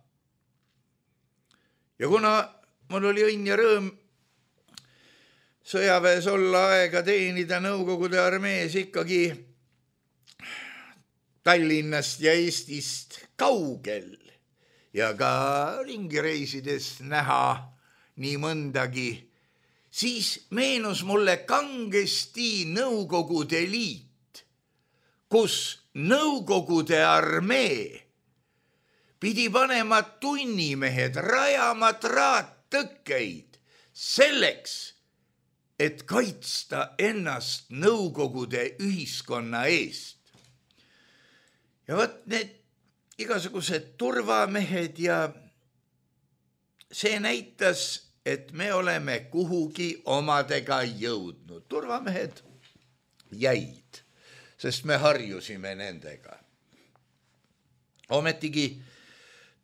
Ja kuna mul oli õnn ja rõõm sõjaväes olla aega teenida Nõukogude armees ikkagi Tallinnast ja Eestist kaugel ja ka ringireisides näha nii mõndagi, siis meenus mulle kangesti Nõukogude Liit, kus Nõukogude armee pidi panema tunnimehed, rajama traattõkkeid selleks, et kaitsta ennast Nõukogude ühiskonna eest. Ja võt need igasugused turvamehed ja see näitas, et me oleme kuhugi omadega jõudnud. Turvamehed jäid, sest me harjusime nendega. Ometigi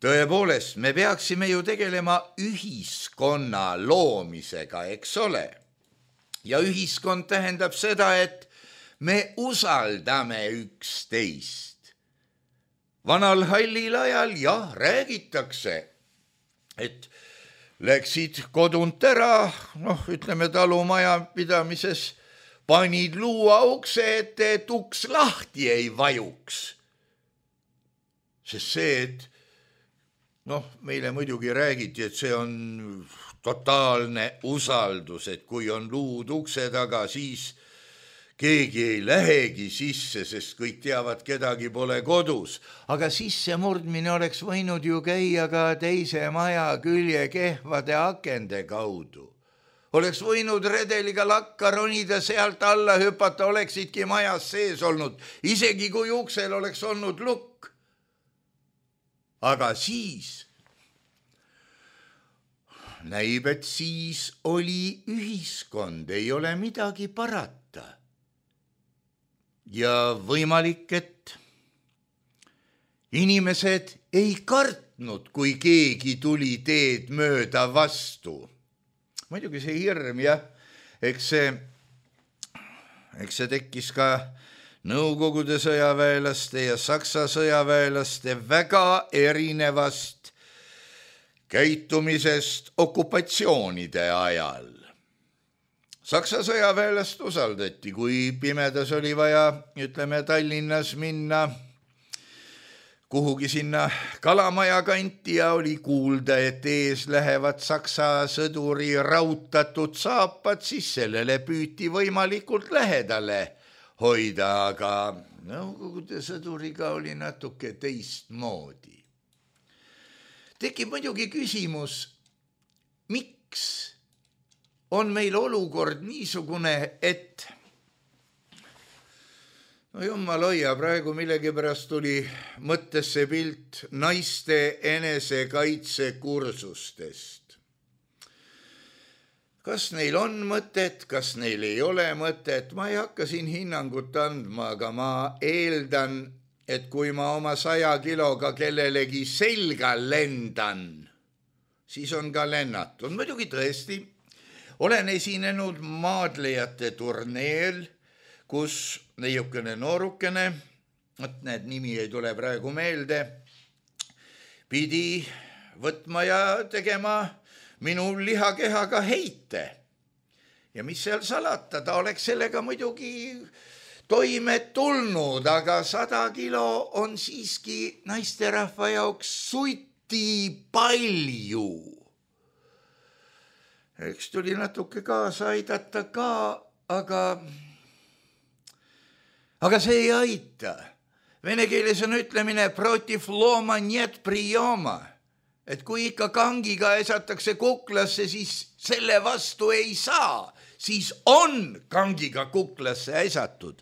tõepoolest me peaksime ju tegelema ühiskonna loomisega, eks ole. Ja ühiskond tähendab seda, et me usaldame üksteist. Vanal hallil ajal jah, räägitakse, et läksid kodunt ära, noh, ütleme talumaja pidamises, panid luua ukse ette, et uks lahti ei vajuks. Sest see, et noh, meile muidugi räägiti, et see on totaalne usaldus, et kui on luud ukse taga, siis keegi ei lähegi sisse, sest kõik teavad, kedagi pole kodus. Aga sisse murdmine oleks võinud ju käia ka teise maja külje kehvade akende kaudu. Oleks võinud redeliga lakka ronida, sealt alla hüpata, oleksidki majas sees olnud, isegi kui uksel oleks olnud lukk. Aga siis näib, et siis oli ühiskond, ei ole midagi parata. Ja võimalik, et inimesed ei kartnud, kui keegi tuli teed mööda vastu. Muidugi see hirm, jah, eks see, eks see tekkis ka Nõukogude sõjaväelaste ja Saksa sõjaväelaste väga erinevast käitumisest okupatsioonide ajal. Saksa sõjaväelast usaldati, kui pimedas oli vaja, ütleme, Tallinnas minna kuhugi sinna Kalamaja kanti ja oli kuulda, et ees lähevad Saksa sõduri rautatud saapad, siis sellele püüti võimalikult lähedale hoida, aga Nõukogude sõduriga oli natuke teistmoodi. Tekib muidugi küsimus, miks on meil olukord niisugune, et no jummal hoia, praegu millegipärast tuli mõttesse pilt naiste enesekaitsekursustest. Kas neil on mõtet, kas neil ei ole mõtet, ma ei hakka siin hinnangut andma, aga ma eeldan, et kui ma oma saja kiloga kellelegi selga lendan, siis on ka lennatud. Muidugi tõesti, olen esinenud maadlejate turneel, kus neiukene noorukene, et need nimi ei tule praegu meelde, pidi võtma ja tegema minu lihakehaga heite. Ja mis seal salata, ta oleks sellega muidugi toime tulnud, aga sada kilo on siiski naisterahva jaoks suiti palju. Eks tuli natuke kaasa aidata ka, aga, aga see ei aita. Vene keeles on ütlemine protiv loma нет приема. et kui ikka kangiga esatakse kuklasse, siis selle vastu ei saa, siis on kangiga kuklasse esatud.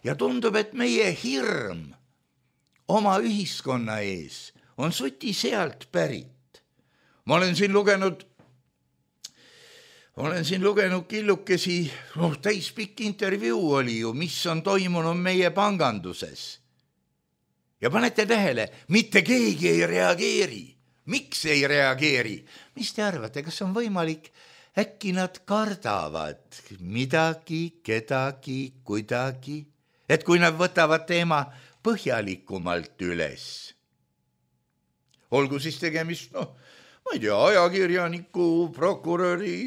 Ja tundub, et meie hirm oma ühiskonna ees on suti sealt pärit. Ma olen siin lugenud, olen siin lugenud killukesi, noh, täispikk intervjuu oli ju, mis on toimunud meie panganduses. Ja panete tähele, mitte keegi ei reageeri. Miks ei reageeri? Mis te arvate, kas on võimalik? Äkki nad kardavad midagi, kedagi, kuidagi, et kui nad võtavad teema põhjalikumalt üles. Olgu siis tegemist, noh, ma ei tea, ajakirjaniku, prokuröri,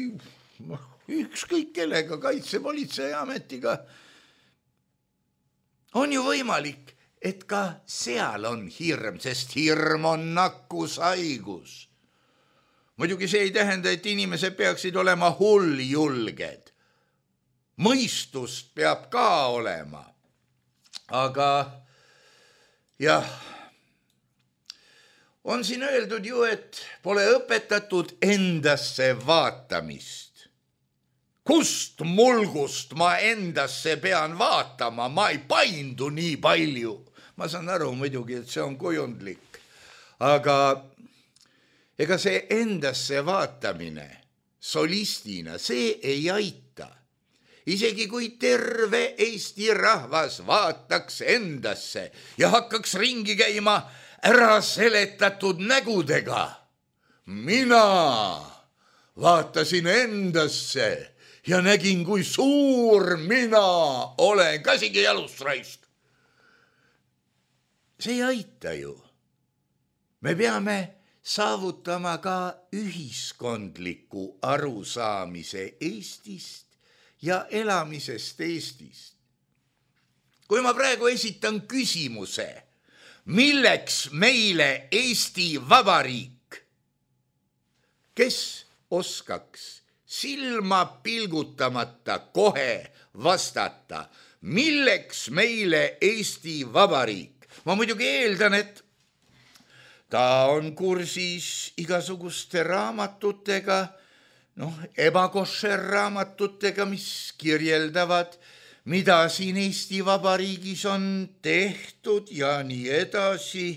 ükskõik kellega, kaitsepolitseiametiga. On ju võimalik, et ka seal on hirm, sest hirm on nakkushaigus. Muidugi see ei tähenda, et inimesed peaksid olema hulljulged. Mõistust peab ka olema. Aga jah, on siin öeldud ju, et pole õpetatud endasse vaatamist. Kust mulgust ma endasse pean vaatama, ma ei paindu nii palju. Ma saan aru muidugi, et see on kujundlik, aga ega see endasse vaatamine solistina, see ei aita. Isegi kui terve Eesti rahvas vaataks endasse ja hakkaks ringi käima ära seletatud nägudega. Mina vaatasin endasse ja nägin, kui suur mina olen, käsigi jalust raist. See ei aita ju. Me peame saavutama ka ühiskondliku arusaamise Eestist ja elamisest Eestist. Kui ma praegu esitan küsimuse, milleks meile Eesti Vabariik, kes oskaks silma pilgutamata kohe vastata, milleks meile Eesti Vabariik? Ma muidugi eeldan, et ta on kursis igasuguste raamatutega, noh, ebakošer raamatutega, mis kirjeldavad, mida siin Eesti Vabariigis on tehtud ja nii edasi.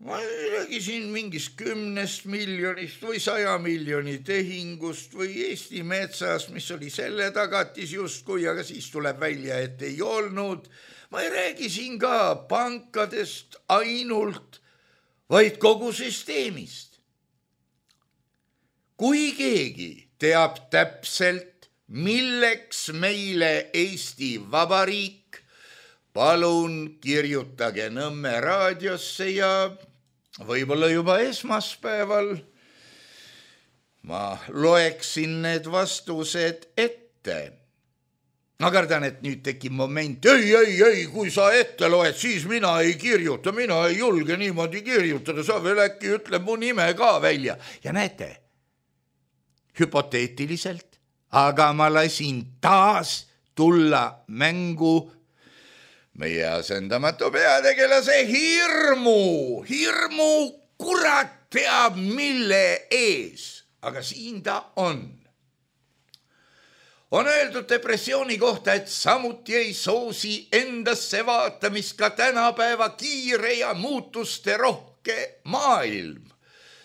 Ma räägisin mingist kümnest miljonist või saja miljoni tehingust või Eesti metsas, mis oli selle tagatis justkui, aga siis tuleb välja, et ei olnud. Ma ei räägi siin ka pankadest ainult, vaid kogu süsteemist. Kui keegi teab täpselt, milleks meile Eesti Vabariik, palun kirjutage Nõmme raadiosse ja võib-olla juba esmaspäeval ma loeksin need vastused ette. Ma kardan, et nüüd tekib moment, ei, ei, ei, kui sa ette loed, siis mina ei kirjuta, mina ei julge niimoodi kirjutada, sa veel äkki ütle mu nime ka välja. Ja näete, hüpoteetiliselt, aga ma lasin taas tulla mängu meie asendamatu peategelase hirmu, hirmu kurat teab mille ees, aga siin ta on. On öeldud depressiooni kohta, et samuti ei soosi endasse vaatamist ka tänapäeva kiire ja muutuste rohke maailm,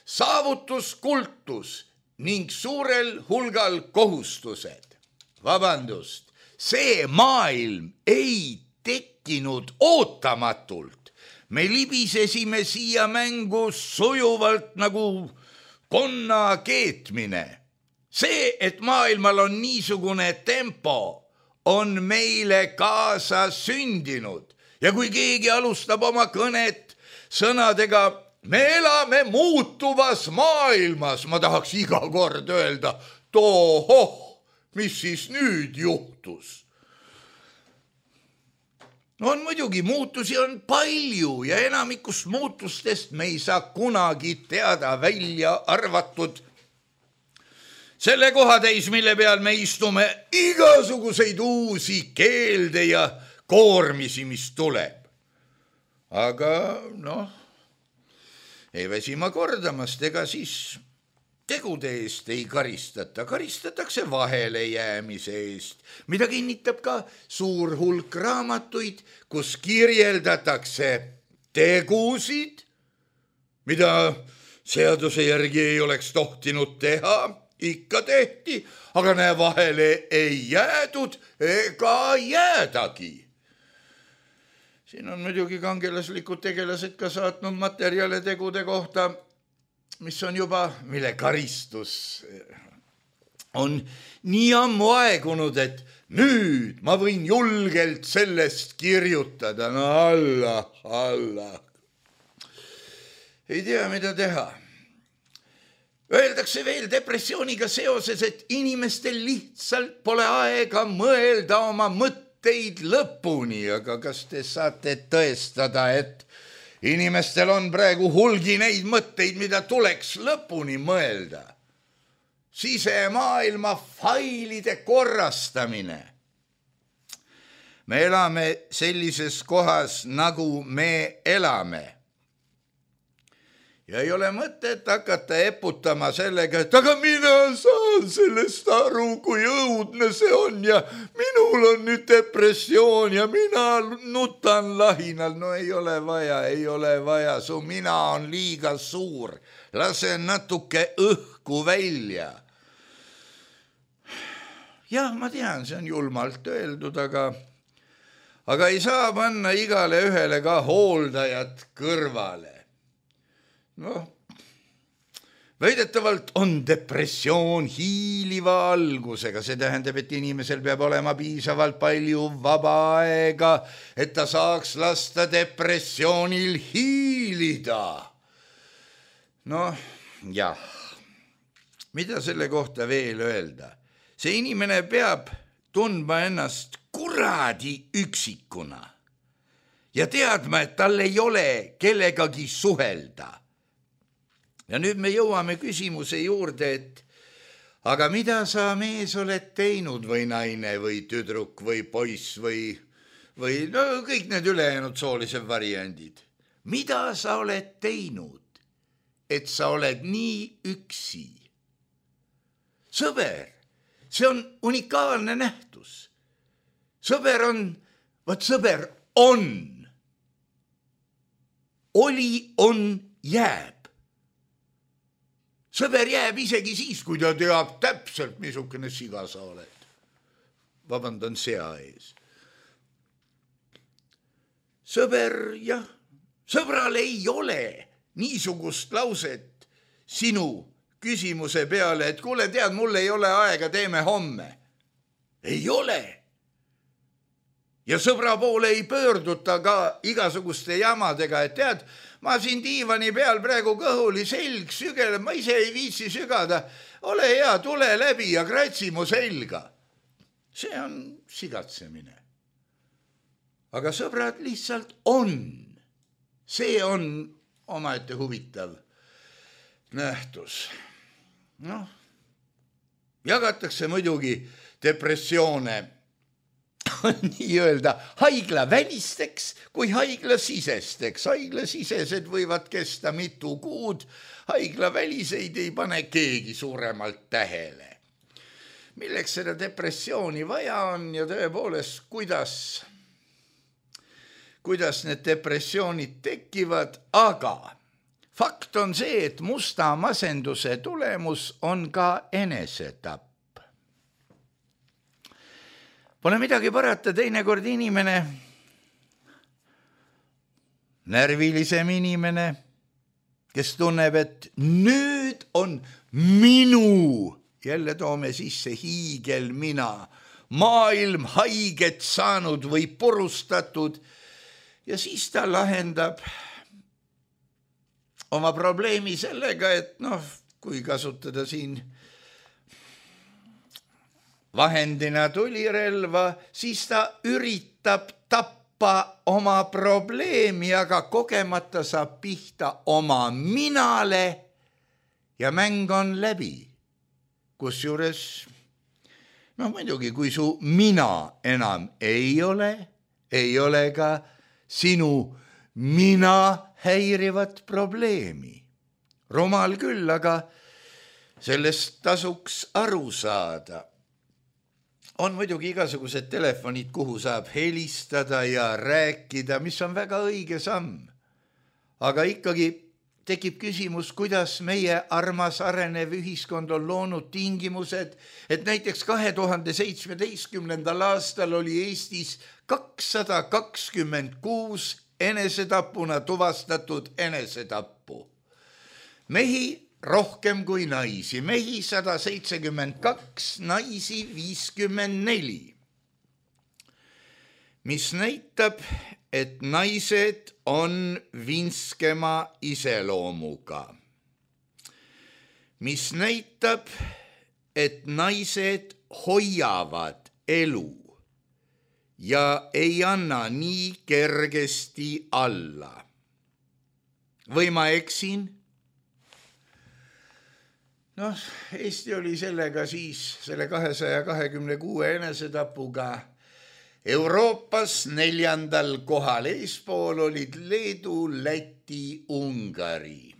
saavutuskultus ning suurel hulgal kohustused. Vabandust, see maailm ei tekkinud ootamatult. Me libisesime siia mängu sujuvalt nagu konna keetmine. See, et maailmal on niisugune tempo, on meile kaasa sündinud. Ja kui keegi alustab oma kõnet sõnadega, me elame muutuvas maailmas, ma tahaks iga kord öelda, tohoh, mis siis nüüd juhtus? On muidugi, muutusi on palju ja enamikust muutustest me ei saa kunagi teada välja arvatud selle kohatäis, mille peal me istume, igasuguseid uusi keelde ja koormisi, mis tuleb. Aga noh, ei väsi ma kordamast, ega siis tegude eest ei karistata, karistatakse vahele jäämise eest, mida kinnitab ka suur hulk raamatuid, kus kirjeldatakse tegusid, mida seaduse järgi ei oleks tohtinud teha, ikka tehti, aga näe, vahele ei jäädud ega jäädagi. Siin on muidugi kangelaslikud tegelased ka saatnud materjale tegude kohta, mis on juba, mille karistus on nii ammu aegunud, et nüüd ma võin julgelt sellest kirjutada. No alla, alla. Ei tea, mida teha. Öeldakse veel depressiooniga seoses, et inimestel lihtsalt pole aega mõelda oma mõtteid lõpuni, aga kas te saate tõestada, et inimestel on praegu hulgi neid mõtteid, mida tuleks lõpuni mõelda? Sisemaailma failide korrastamine. Me elame sellises kohas, nagu me elame. Ja ei ole mõtet hakata eputama sellega, et aga mina saan sellest aru, kui õudne see on ja minul on nüüd depressioon ja mina nutan lahinal. No ei ole vaja, ei ole vaja, su mina on liiga suur. Lase natuke õhku välja. Jah, ma tean, see on julmalt öeldud, aga, aga ei saa panna igale ühele ka hooldajat kõrvale. Noh, väidetavalt on depressioon hiiliva algusega, see tähendab, et inimesel peab olema piisavalt palju vaba aega, et ta saaks lasta depressioonil hiilida. Noh, jah, mida selle kohta veel öelda? See inimene peab tundma ennast kuradi üksikuna ja teadma, et tal ei ole kellegagi suhelda. Ja nüüd me jõuame küsimuse juurde, et aga mida sa mees oled teinud või naine või tüdruk või poiss või, või no, kõik need ülejäänud soolised variandid. Mida sa oled teinud, et sa oled nii üksi? Sõber, see on unikaalne nähtus. Sõber on, võt sõber on. Oli, on, jääb. Sõber jääb isegi siis, kui ta teab täpselt, missugune siga sa oled. Vabandan sea ees. Sõber, jah, sõbral ei ole niisugust lauset sinu küsimuse peale, et kuule, tead, mul ei ole aega, teeme homme. Ei ole. Ja sõbra poole ei pöörduta ka igasuguste jamadega, et tead, ma siin diivani peal praegu kõhuli selg sügeleb, ma ise ei viitsi sügada. Ole hea, tule läbi ja kratsi mu selga. See on sigatsemine. Aga sõbrad lihtsalt on. See on omaette huvitav nähtus. Noh, jagatakse muidugi depressioone nii öelda haiglavälisteks kui haiglasisesteks. Haiglasisesed võivad kesta mitu kuud, haiglaväliseid ei pane keegi suuremalt tähele. Milleks seda depressiooni vaja on ja tõepoolest, kuidas, kuidas need depressioonid tekivad, aga fakt on see, et musta masenduse tulemus on ka enesetapp. Pole midagi parata, teinekord inimene, närvilisem inimene, kes tunneb, et nüüd on minu, jälle toome sisse hiigel mina, maailm haiget saanud või purustatud ja siis ta lahendab oma probleemi sellega, et noh, kui kasutada siin vahendina tulirelva, siis ta üritab tappa oma probleemi, aga kogemata saab pihta oma minale ja mäng on läbi. Kusjuures, noh muidugi, kui su mina enam ei ole, ei ole ka sinu mina häirivat probleemi. Rumal küll, aga sellest tasuks aru saada. On muidugi igasugused telefonid, kuhu saab helistada ja rääkida, mis on väga õige samm. Aga ikkagi tekib küsimus, kuidas meie armas arenev ühiskond on loonud tingimused, et näiteks kahe tuhande seitsmeteistkümnendal aastal oli Eestis kakssada kakskümmend kuus enesetapuna tuvastatud enesetappu. Mehi rohkem kui naisi, mehi sada seitsekümmend kaks, naisi viiskümmend neli. Mis näitab, et naised on vinskema iseloomuga. Mis näitab, et naised hoiavad elu ja ei anna nii kergesti alla. Või ma eksin? Noh, Eesti oli sellega siis, selle kahesaja kahekümne kuue enesetapuga Euroopas neljandal kohal, eespool olid Leedu, Läti, Ungari.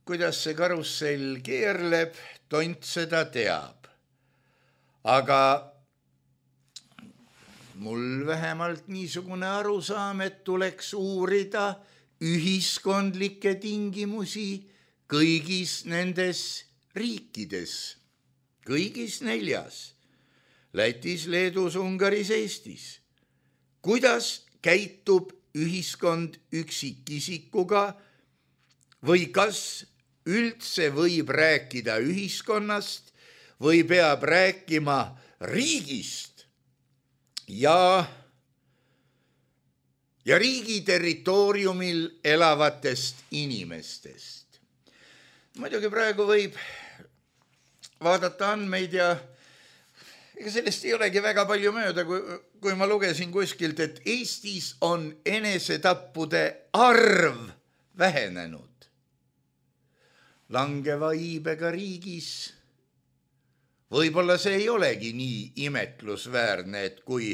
Kuidas see karussell keerleb, tont seda teab. Aga mul vähemalt niisugune arusaam, et tuleks uurida ühiskondlikke tingimusi kõigis nendes riikides, kõigis neljas. Lätis, Leedus, Ungaris, Eestis. Kuidas käitub ühiskond üksikisikuga või kas üldse võib rääkida ühiskonnast või peab rääkima riigist ja, ja riigi territooriumil elavatest inimestest. Muidugi praegu võib vaadata andmeid ja ega sellest ei olegi väga palju mööda, kui, kui ma lugesin kuskilt, et Eestis on enesetappude arv vähenenud. Langeva iibega riigis võib-olla see ei olegi nii imetlusväärne, et kui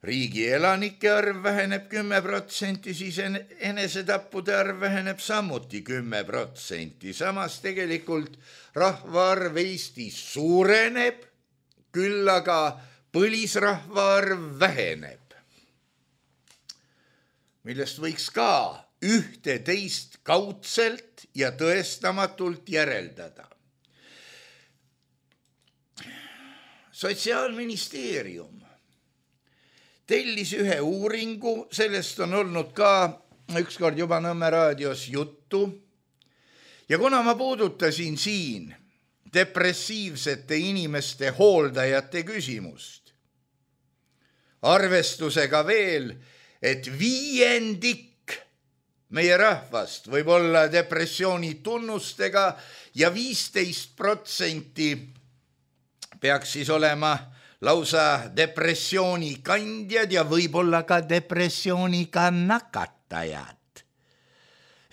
riigi elanike arv väheneb kümme protsenti, siis enesetappude arv väheneb samuti kümme protsenti. Samas tegelikult rahvaarv Eestis suureneb, küll aga põlisrahvaarv väheneb, millest võiks ka ühte teist kaudselt ja tõestamatult järeldada. Sotsiaalministeerium tellis ühe uuringu, sellest on olnud ka ükskord juba Nõmme raadios juttu, ja kuna ma puudutasin siin depressiivsete inimeste hooldajate küsimust, arvestusega veel, et viiendik meie rahvast võib olla depressiooni tunnustega ja viisteist protsenti peaks siis olema lausa depressiooni kandjad ja võib-olla ka depressiooniga nakatajad.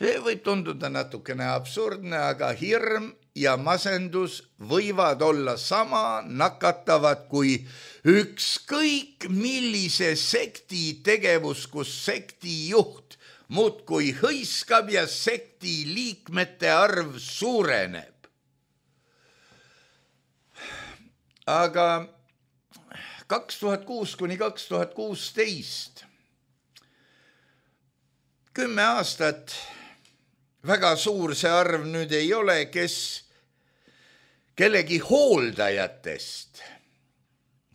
See võib tunduda natukene absurdne, aga hirm ja masendus võivad olla sama nakatavad kui ükskõik millise sekti tegevus, kus sekti juht muudkui hõiskab ja sekti liikmete arv suureneb. Aga kaks tuhat kuus kuni kaks tuhat kuusteist, kümme aastat, väga suur see arv nüüd ei ole, kes kellegi hooldajatest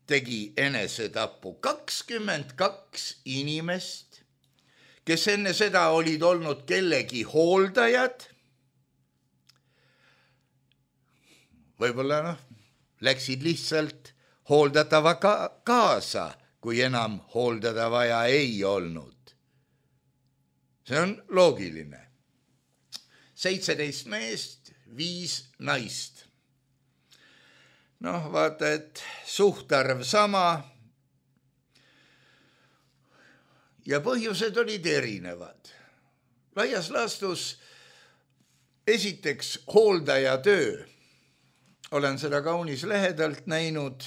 tegi enesetapu. kakskümmend kaks inimest, kes enne seda olid olnud kellegi hooldajad, võib-olla noh, läksid lihtsalt hooldatava ka- kaasa, kui enam hooldada vaja ei olnud. See on loogiline. seitseteist meest, viis naist. Noh, vaata, et suhtarv sama ja põhjused olid erinevad. Laias laastus esiteks hooldaja töö. Olen seda kaunis lähedalt näinud,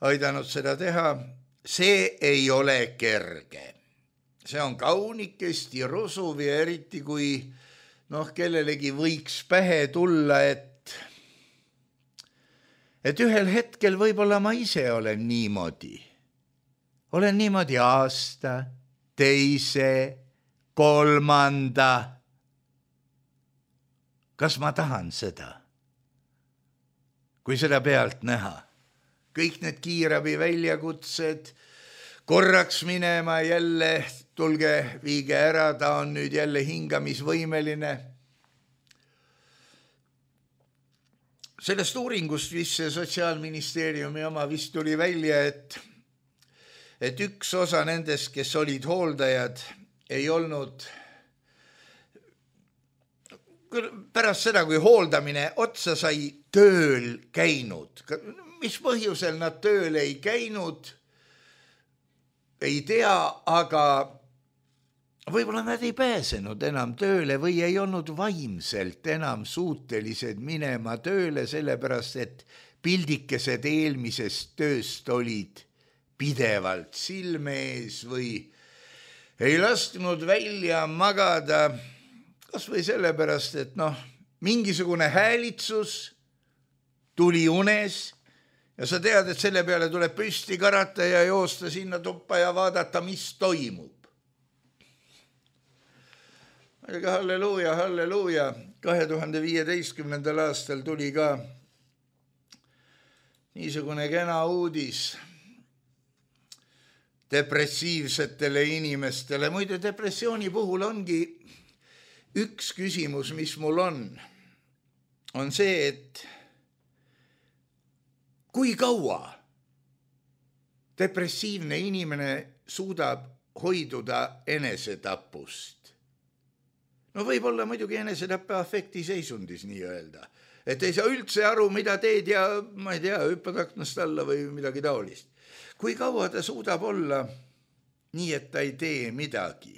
aidanud seda teha. See ei ole kerge. see on kaunikesti rusuv ja eriti kui noh, kellelegi võiks pähe tulla, et et ühel hetkel võib-olla ma ise olen niimoodi. Olen niimoodi aasta, teise, kolmanda. Kas ma tahan seda? Kui seda pealt näha. Kõik need kiirabi väljakutsed, korraks minema jälle, tulge, viige ära, ta on nüüd jälle hingamisvõimeline. Sellest uuringust, mis Sotsiaalministeeriumi oma vist tuli välja, et, et üks osa nendest, kes olid hooldajad, ei olnud pärast seda, kui hooldamine otsa sai, tööl käinud. Mis põhjusel nad tööl ei käinud, ei tea, aga võib-olla nad ei pääsenud enam tööle või ei olnud vaimselt enam suutelised minema tööle, sellepärast et pildikesed eelmisest tööst olid pidevalt silme ees või ei lasknud välja magada, kas või sellepärast, et noh, mingisugune häälitsus tuli unes ja sa tead, et selle peale tuleb püsti karata ja joosta sinna tuppa ja vaadata, mis toimub. Aga halleluuja, halleluuja, kahe tuhande viieteistkümnendal aastal tuli ka niisugune kena uudis depressiivsetele inimestele. Muide, depressiooni puhul ongi üks küsimus, mis mul on, on see, et kui kaua depressiivne inimene suudab hoiduda enesetapust. No võib-olla muidugi enesetappe afekti seisundis nii öelda, et ei saa üldse aru, mida teed ja ma ei tea, hüppad aknast alla või midagi taolist. Kui kaua ta suudab olla nii, et ta ei tee midagi.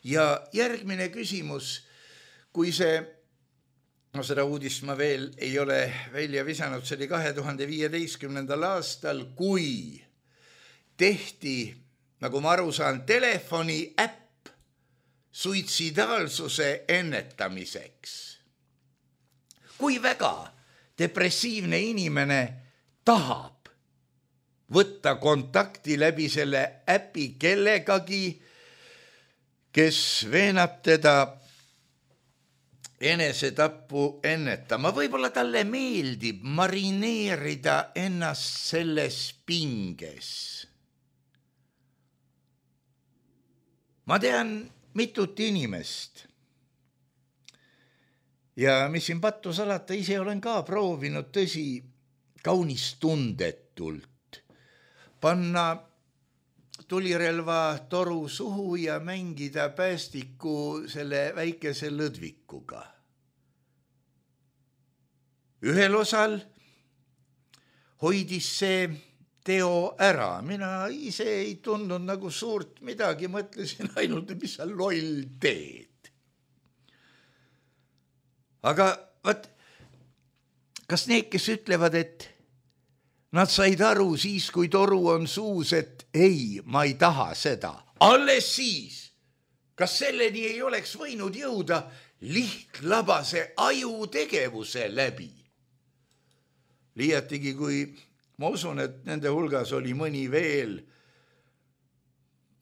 Ja järgmine küsimus, kui see, no seda uudist ma veel ei ole välja visanud, see oli kahe tuhande viieteistkümnendal aastal, kui tehti, nagu ma aru saan, telefoni äpp suitsidaalsuse ennetamiseks. Kui väga depressiivne inimene tahab võtta kontakti läbi selle äpi kellegagi, kes veenab teda enesetappu ennetama. Võib-olla talle meeldib marineerida ennast selles pinges. Ma tean mitut inimest ja mis siin pattu salata, ise olen ka proovinud tõsi kaunis tundetult panna tulirelva toru suhu ja mängida päästiku selle väikese lõdvikuga. Ühel osal hoidis see teo ära. Mina ise ei tundnud nagu suurt midagi, mõtlesin ainult, mis sa loll teed. Aga vaat, kas need, kes ütlevad, et nad said aru siis, kui toru on suus, et ei, ma ei taha seda. Alles siis, kas selleni ei oleks võinud jõuda lihtlabase ajutegevuse läbi? Liiatigi, kui ma usun, et nende hulgas oli mõni veel,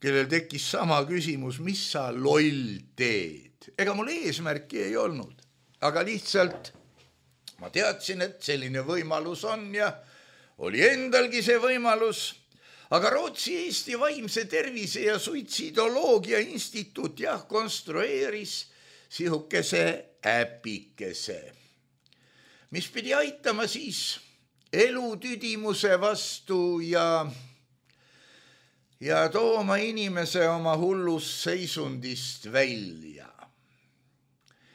kellel tekkis sama küsimus, mis sa loll teed. Ega mul eesmärki ei olnud, aga lihtsalt ma teadsin, et selline võimalus on ja oli endalgi see võimalus, aga Rootsi Eesti Vaimse Tervise ja Suitsidoloogia Instituut jah konstrueeris sihukese äpikese, mis pidi aitama siis elutüdimuse vastu ja, ja tooma inimese oma hullust seisundist välja.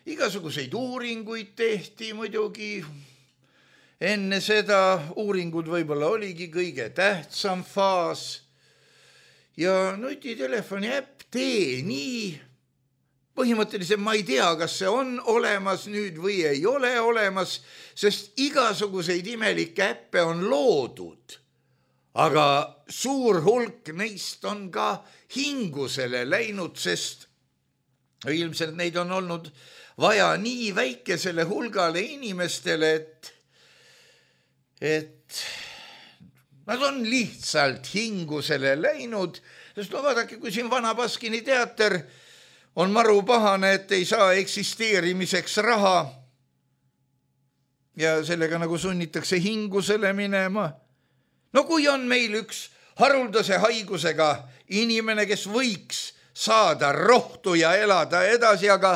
Igasuguseid uuringuid tehti muidugi. Enne seda uuringud võib-olla oligi kõige tähtsam faas ja nutitelefoni äpp tee nii. Põhimõtteliselt ma ei tea, kas see on olemas nüüd või ei ole olemas, sest igasuguseid imelikke äppe on loodud. aga suur hulk neist on ka hingusele läinud, sest ilmselt neid on olnud vaja nii väikesele hulgale inimestele, et, et nad on lihtsalt hingusele läinud, sest no vaadake, kui siin Vana Baskini teater on maru pahane, et ei saa eksisteerimiseks raha ja sellega nagu sunnitakse hingusele minema. No kui on meil üks haruldase haigusega inimene, kes võiks saada rohtu ja elada edasi, aga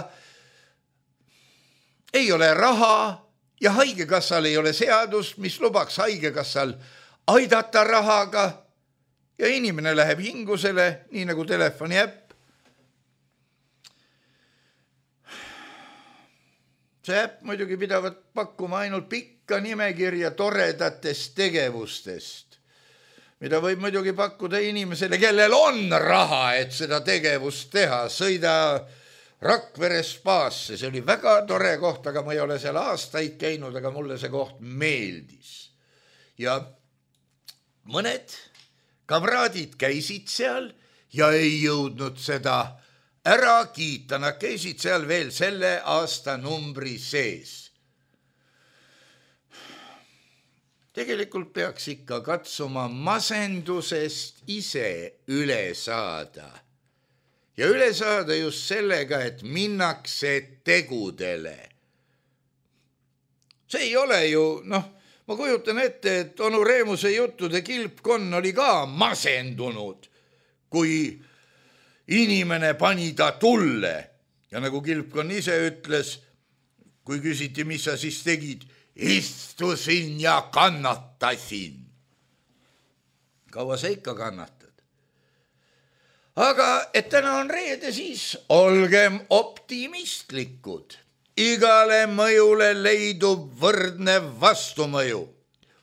ei ole raha ja haigekassal ei ole seadust, mis lubaks haigekassal aidata rahaga ja inimene läheb hingusele, nii nagu telefoni äpp. See äpp muidugi pidavat pakkuma ainult pikka nimekirja toredatest tegevustest, mida võib muidugi pakkuda inimesele, kellel on raha, et seda tegevust teha. Sõida Rakvere spaasse, see oli väga tore koht, aga ma ei ole seal aastaid käinud, aga mulle see koht meeldis. Ja mõned kamraadid käisid seal ja ei jõudnud seda ära kiita, nad käisid seal veel selle aasta numbri sees. Tegelikult peaks ikka katsuma masendusest ise üle saada. Ja üle saada just sellega, et minnakse tegudele. See ei ole ju, noh, ma kujutan ette, et onu Reemuse juttude kilpkonn oli ka masendunud, kui inimene pani ta tulle. Ja nagu kilpkonn ise ütles, kui küsiti, mis sa siis tegid, istusin ja kannatasin. Kaua sa ikka kannatad? Aga et täna on reede, siis olgem optimistlikud. Igale mõjule leidub võrdne vastumõju.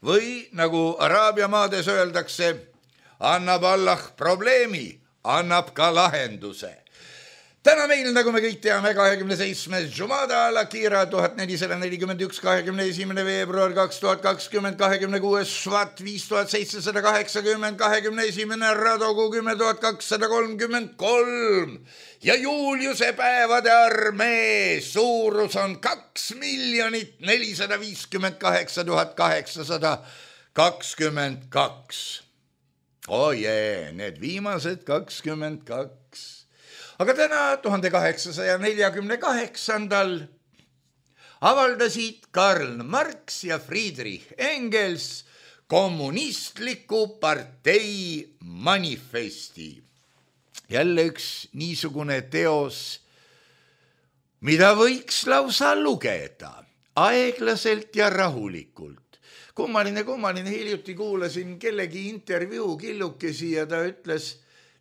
Või nagu Araabia maades öeldakse, annab Allah probleemi, annab ka lahenduse. Täna meil, nagu me kõik teame, kahekümne seitsmes Jumada al-Akira tuhat nelisada nelikümmend üks, kahekümne esimene veebruar kaks tuhat kakskümmend, kahekümne kuues Švat viis tuhat seitsesada kaheksakümmend, kahekümne esimene Radogu kümme tuhat kakssada kolmkümmend kolm ja Juliuse päevade armee suurus on kaks miljonit nelisada viiskümmend kaheksa tuhat kaheksasada kakskümmend kaks. Oje, need viimased kakskümmend kaks. Aga täna tuhande kaheksasaja neljakümne kaheksandal avaldasid Karl Marx ja Friedrich Engels kommunistliku partei manifesti. Jälle üks niisugune teos, mida võiks lausa lugeda aeglaselt ja rahulikult. Kummaline, kummaline, hiljuti kuulasin kellegi intervjuu killukesi ja ta ütles,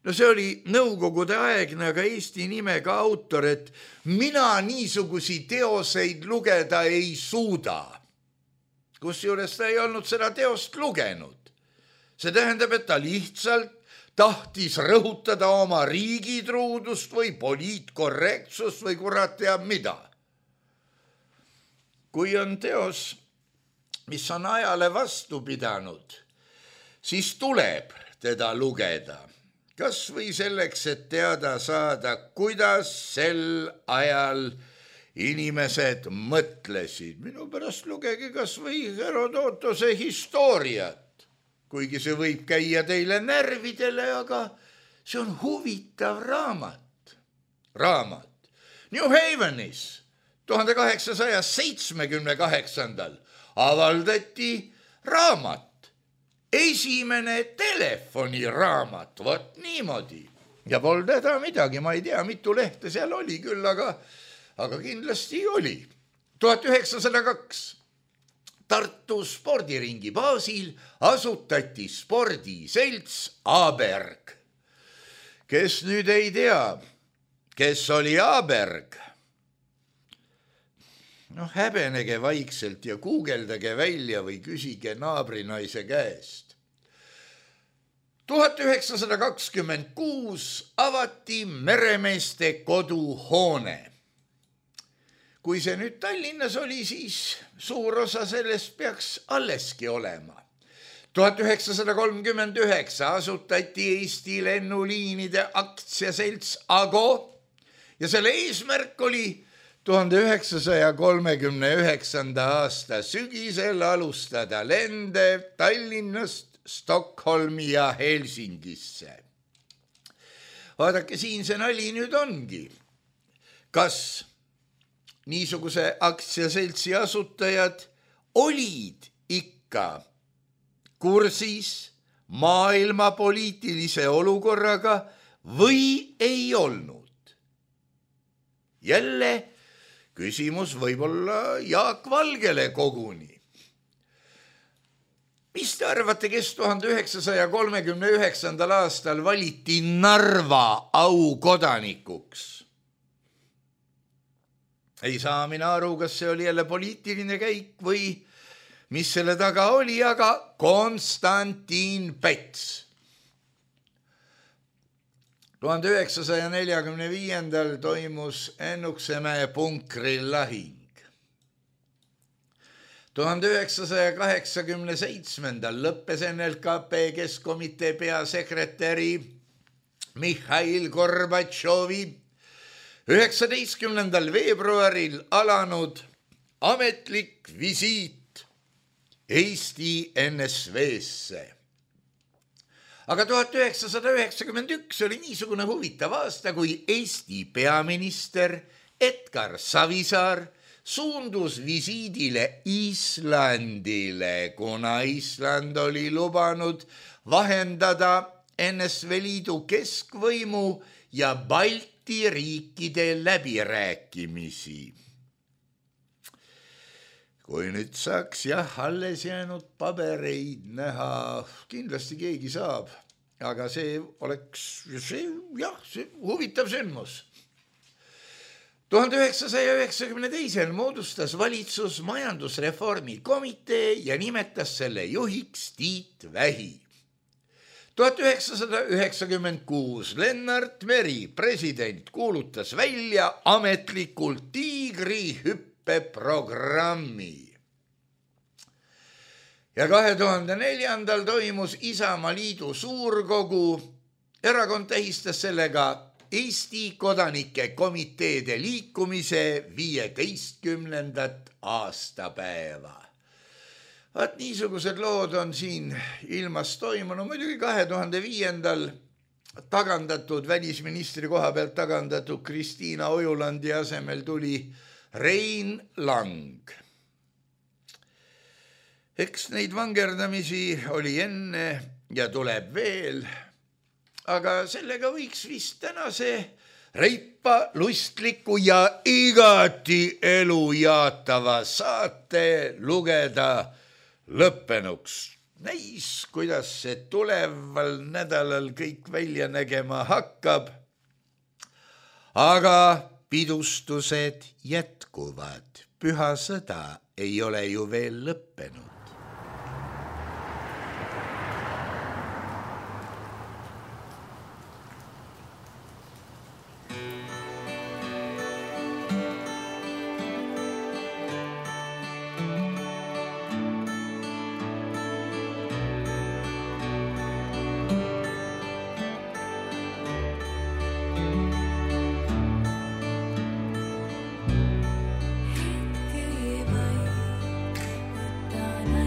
no see oli nõukogude aegne, aga Eesti nimega autor, et mina niisugusi teoseid lugeda ei suuda. Kusjuures ta ei olnud seda teost lugenud. See tähendab, et ta lihtsalt tahtis rõhutada oma riigitruudust või poliitkorrektsust või kurat teab mida. Kui on teos, mis on ajale vastu pidanud, siis tuleb teda lugeda. Kas või selleks, et teada saada, kuidas sel ajal inimesed mõtlesid. Minu pärast lugege kas või Herodotose historiat, kuigi see võib käia teile närvidele, aga see on huvitav raamat. Raamat. New Havenis tuhande kaheksasaja seitsmekümne kaheksandal avaldati raamat. Esimene telefoniraamat, vot niimoodi. Ja pol teda midagi, ma ei tea, mitu lehte seal oli küll, aga, aga kindlasti oli. tuhat üheksasada kaks Tartu spordiringi baasil asutati spordiselts Aberg. Kes nüüd ei tea, kes oli Aberg? Noh, häbenege vaikselt ja guugeldage välja või küsige naabrinaise käest. tuhat üheksasada kakskümmend kuus avati meremeeste koduhoone. Kui see nüüd Tallinnas oli, siis suur osa sellest peaks alleski olema. tuhat üheksasada kolmkümmend üheksa asutati Eesti lennuliinide aktsiaselts Ago ja selle eesmärk oli tuhande üheksasaja kolmekümne üheksanda aasta sügisel alustada lende Tallinnast Stockholmi ja Helsingisse. Vaadake, siin see nali nüüd ongi. Kas niisuguse aktsiaseltsi asutajad olid ikka kursis maailma poliitilise olukorraga või ei olnud? Jälle küsimus võib-olla Jaak Valgele koguni. Mis te arvate, kes tuhande üheksasaja kolmekümne üheksandal aastal valiti Narva aukodanikuks? Ei saa mina aru, kas see oli jälle poliitiline käik või mis selle taga oli, aga Konstantin Päts. tuhande üheksasaja neljakümne viiendal toimus Ennuksemäe punkril lahing. tuhande üheksasaja kaheksakümne seitsmendal lõppes N L K P Keskkomitee peasekretäri Mihhail Gorbatšovi üheksateistkümnendal veebruaril alanud ametlik visiit Eesti N S V-sse. Aga tuhat üheksasada üheksakümmend üks oli niisugune huvitav aasta, kui Eesti peaminister Edgar Savisaar suundus visiidile Islandile, kuna Island oli lubanud vahendada N S V Liidu keskvõimu ja Balti riikide läbirääkimisi. Kui nüüd saaks jah, alles jäänud pabereid näha, kindlasti keegi saab, aga see oleks see, jah, see huvitav sündmus. tuhande üheksasaja üheksakümne teisel moodustas valitsus majandusreformi komitee ja nimetas selle juhiks Tiit Vähi. tuhat üheksasada üheksakümmend kuus Lennart Meri, president, kuulutas välja ametlikult tiigrihüppeprogrammi. Ja kahe tuhande neljandal toimus Isamaa Liidu suurkogu. Erakond tähistas sellega Eesti kodanike komiteede liikumise viieteistkümnendat aastapäeva. Vaat niisugused lood on siin ilmas toimunud. Muidugi kahe tuhande viiendal tagandatud, välisministri koha pealt tagandatud Kristiina Ojulandi asemel tuli Rein Lang. Eks neid vangerdamisi oli enne ja tuleb veel, aga sellega võiks vist tänase reipa, lustliku ja igati elu jaatava saate lugeda lõppenuks. Näis, kuidas see tuleval nädalal kõik välja nägema hakkab, aga pidustused jätkuvad. Püha sõda ei ole ju veel lõppenud. Hetki vaid võtan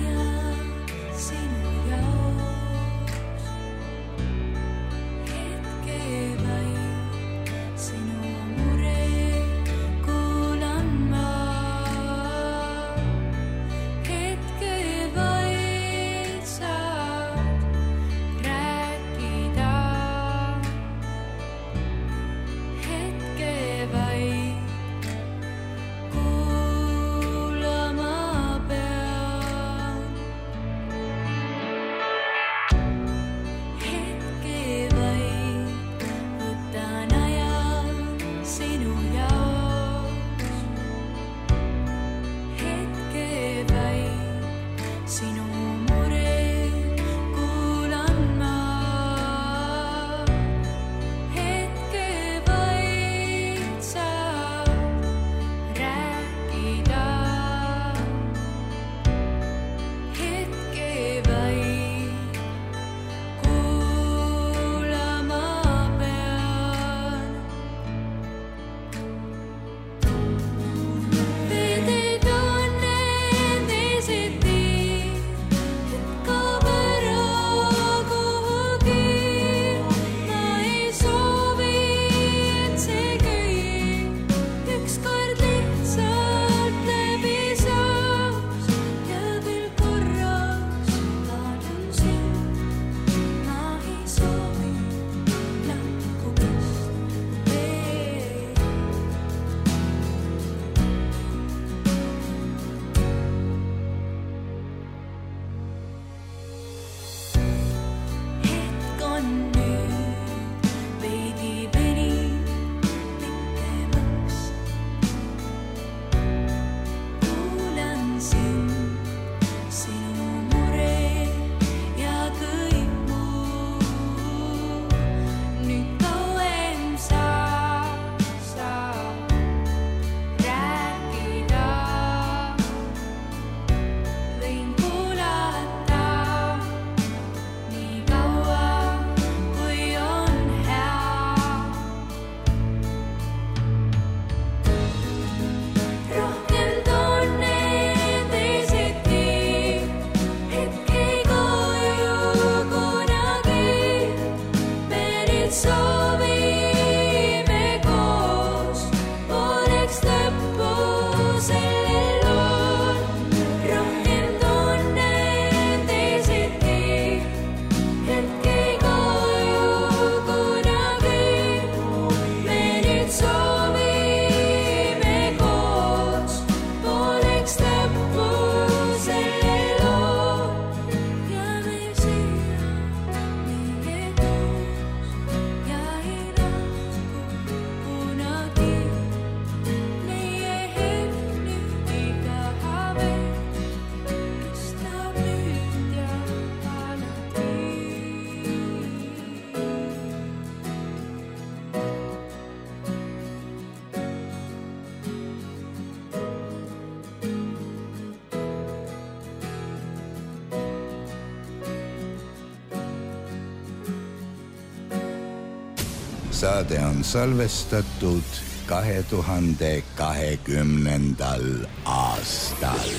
Saade on salvestatud kahe tuhande kahekümnendal aastal.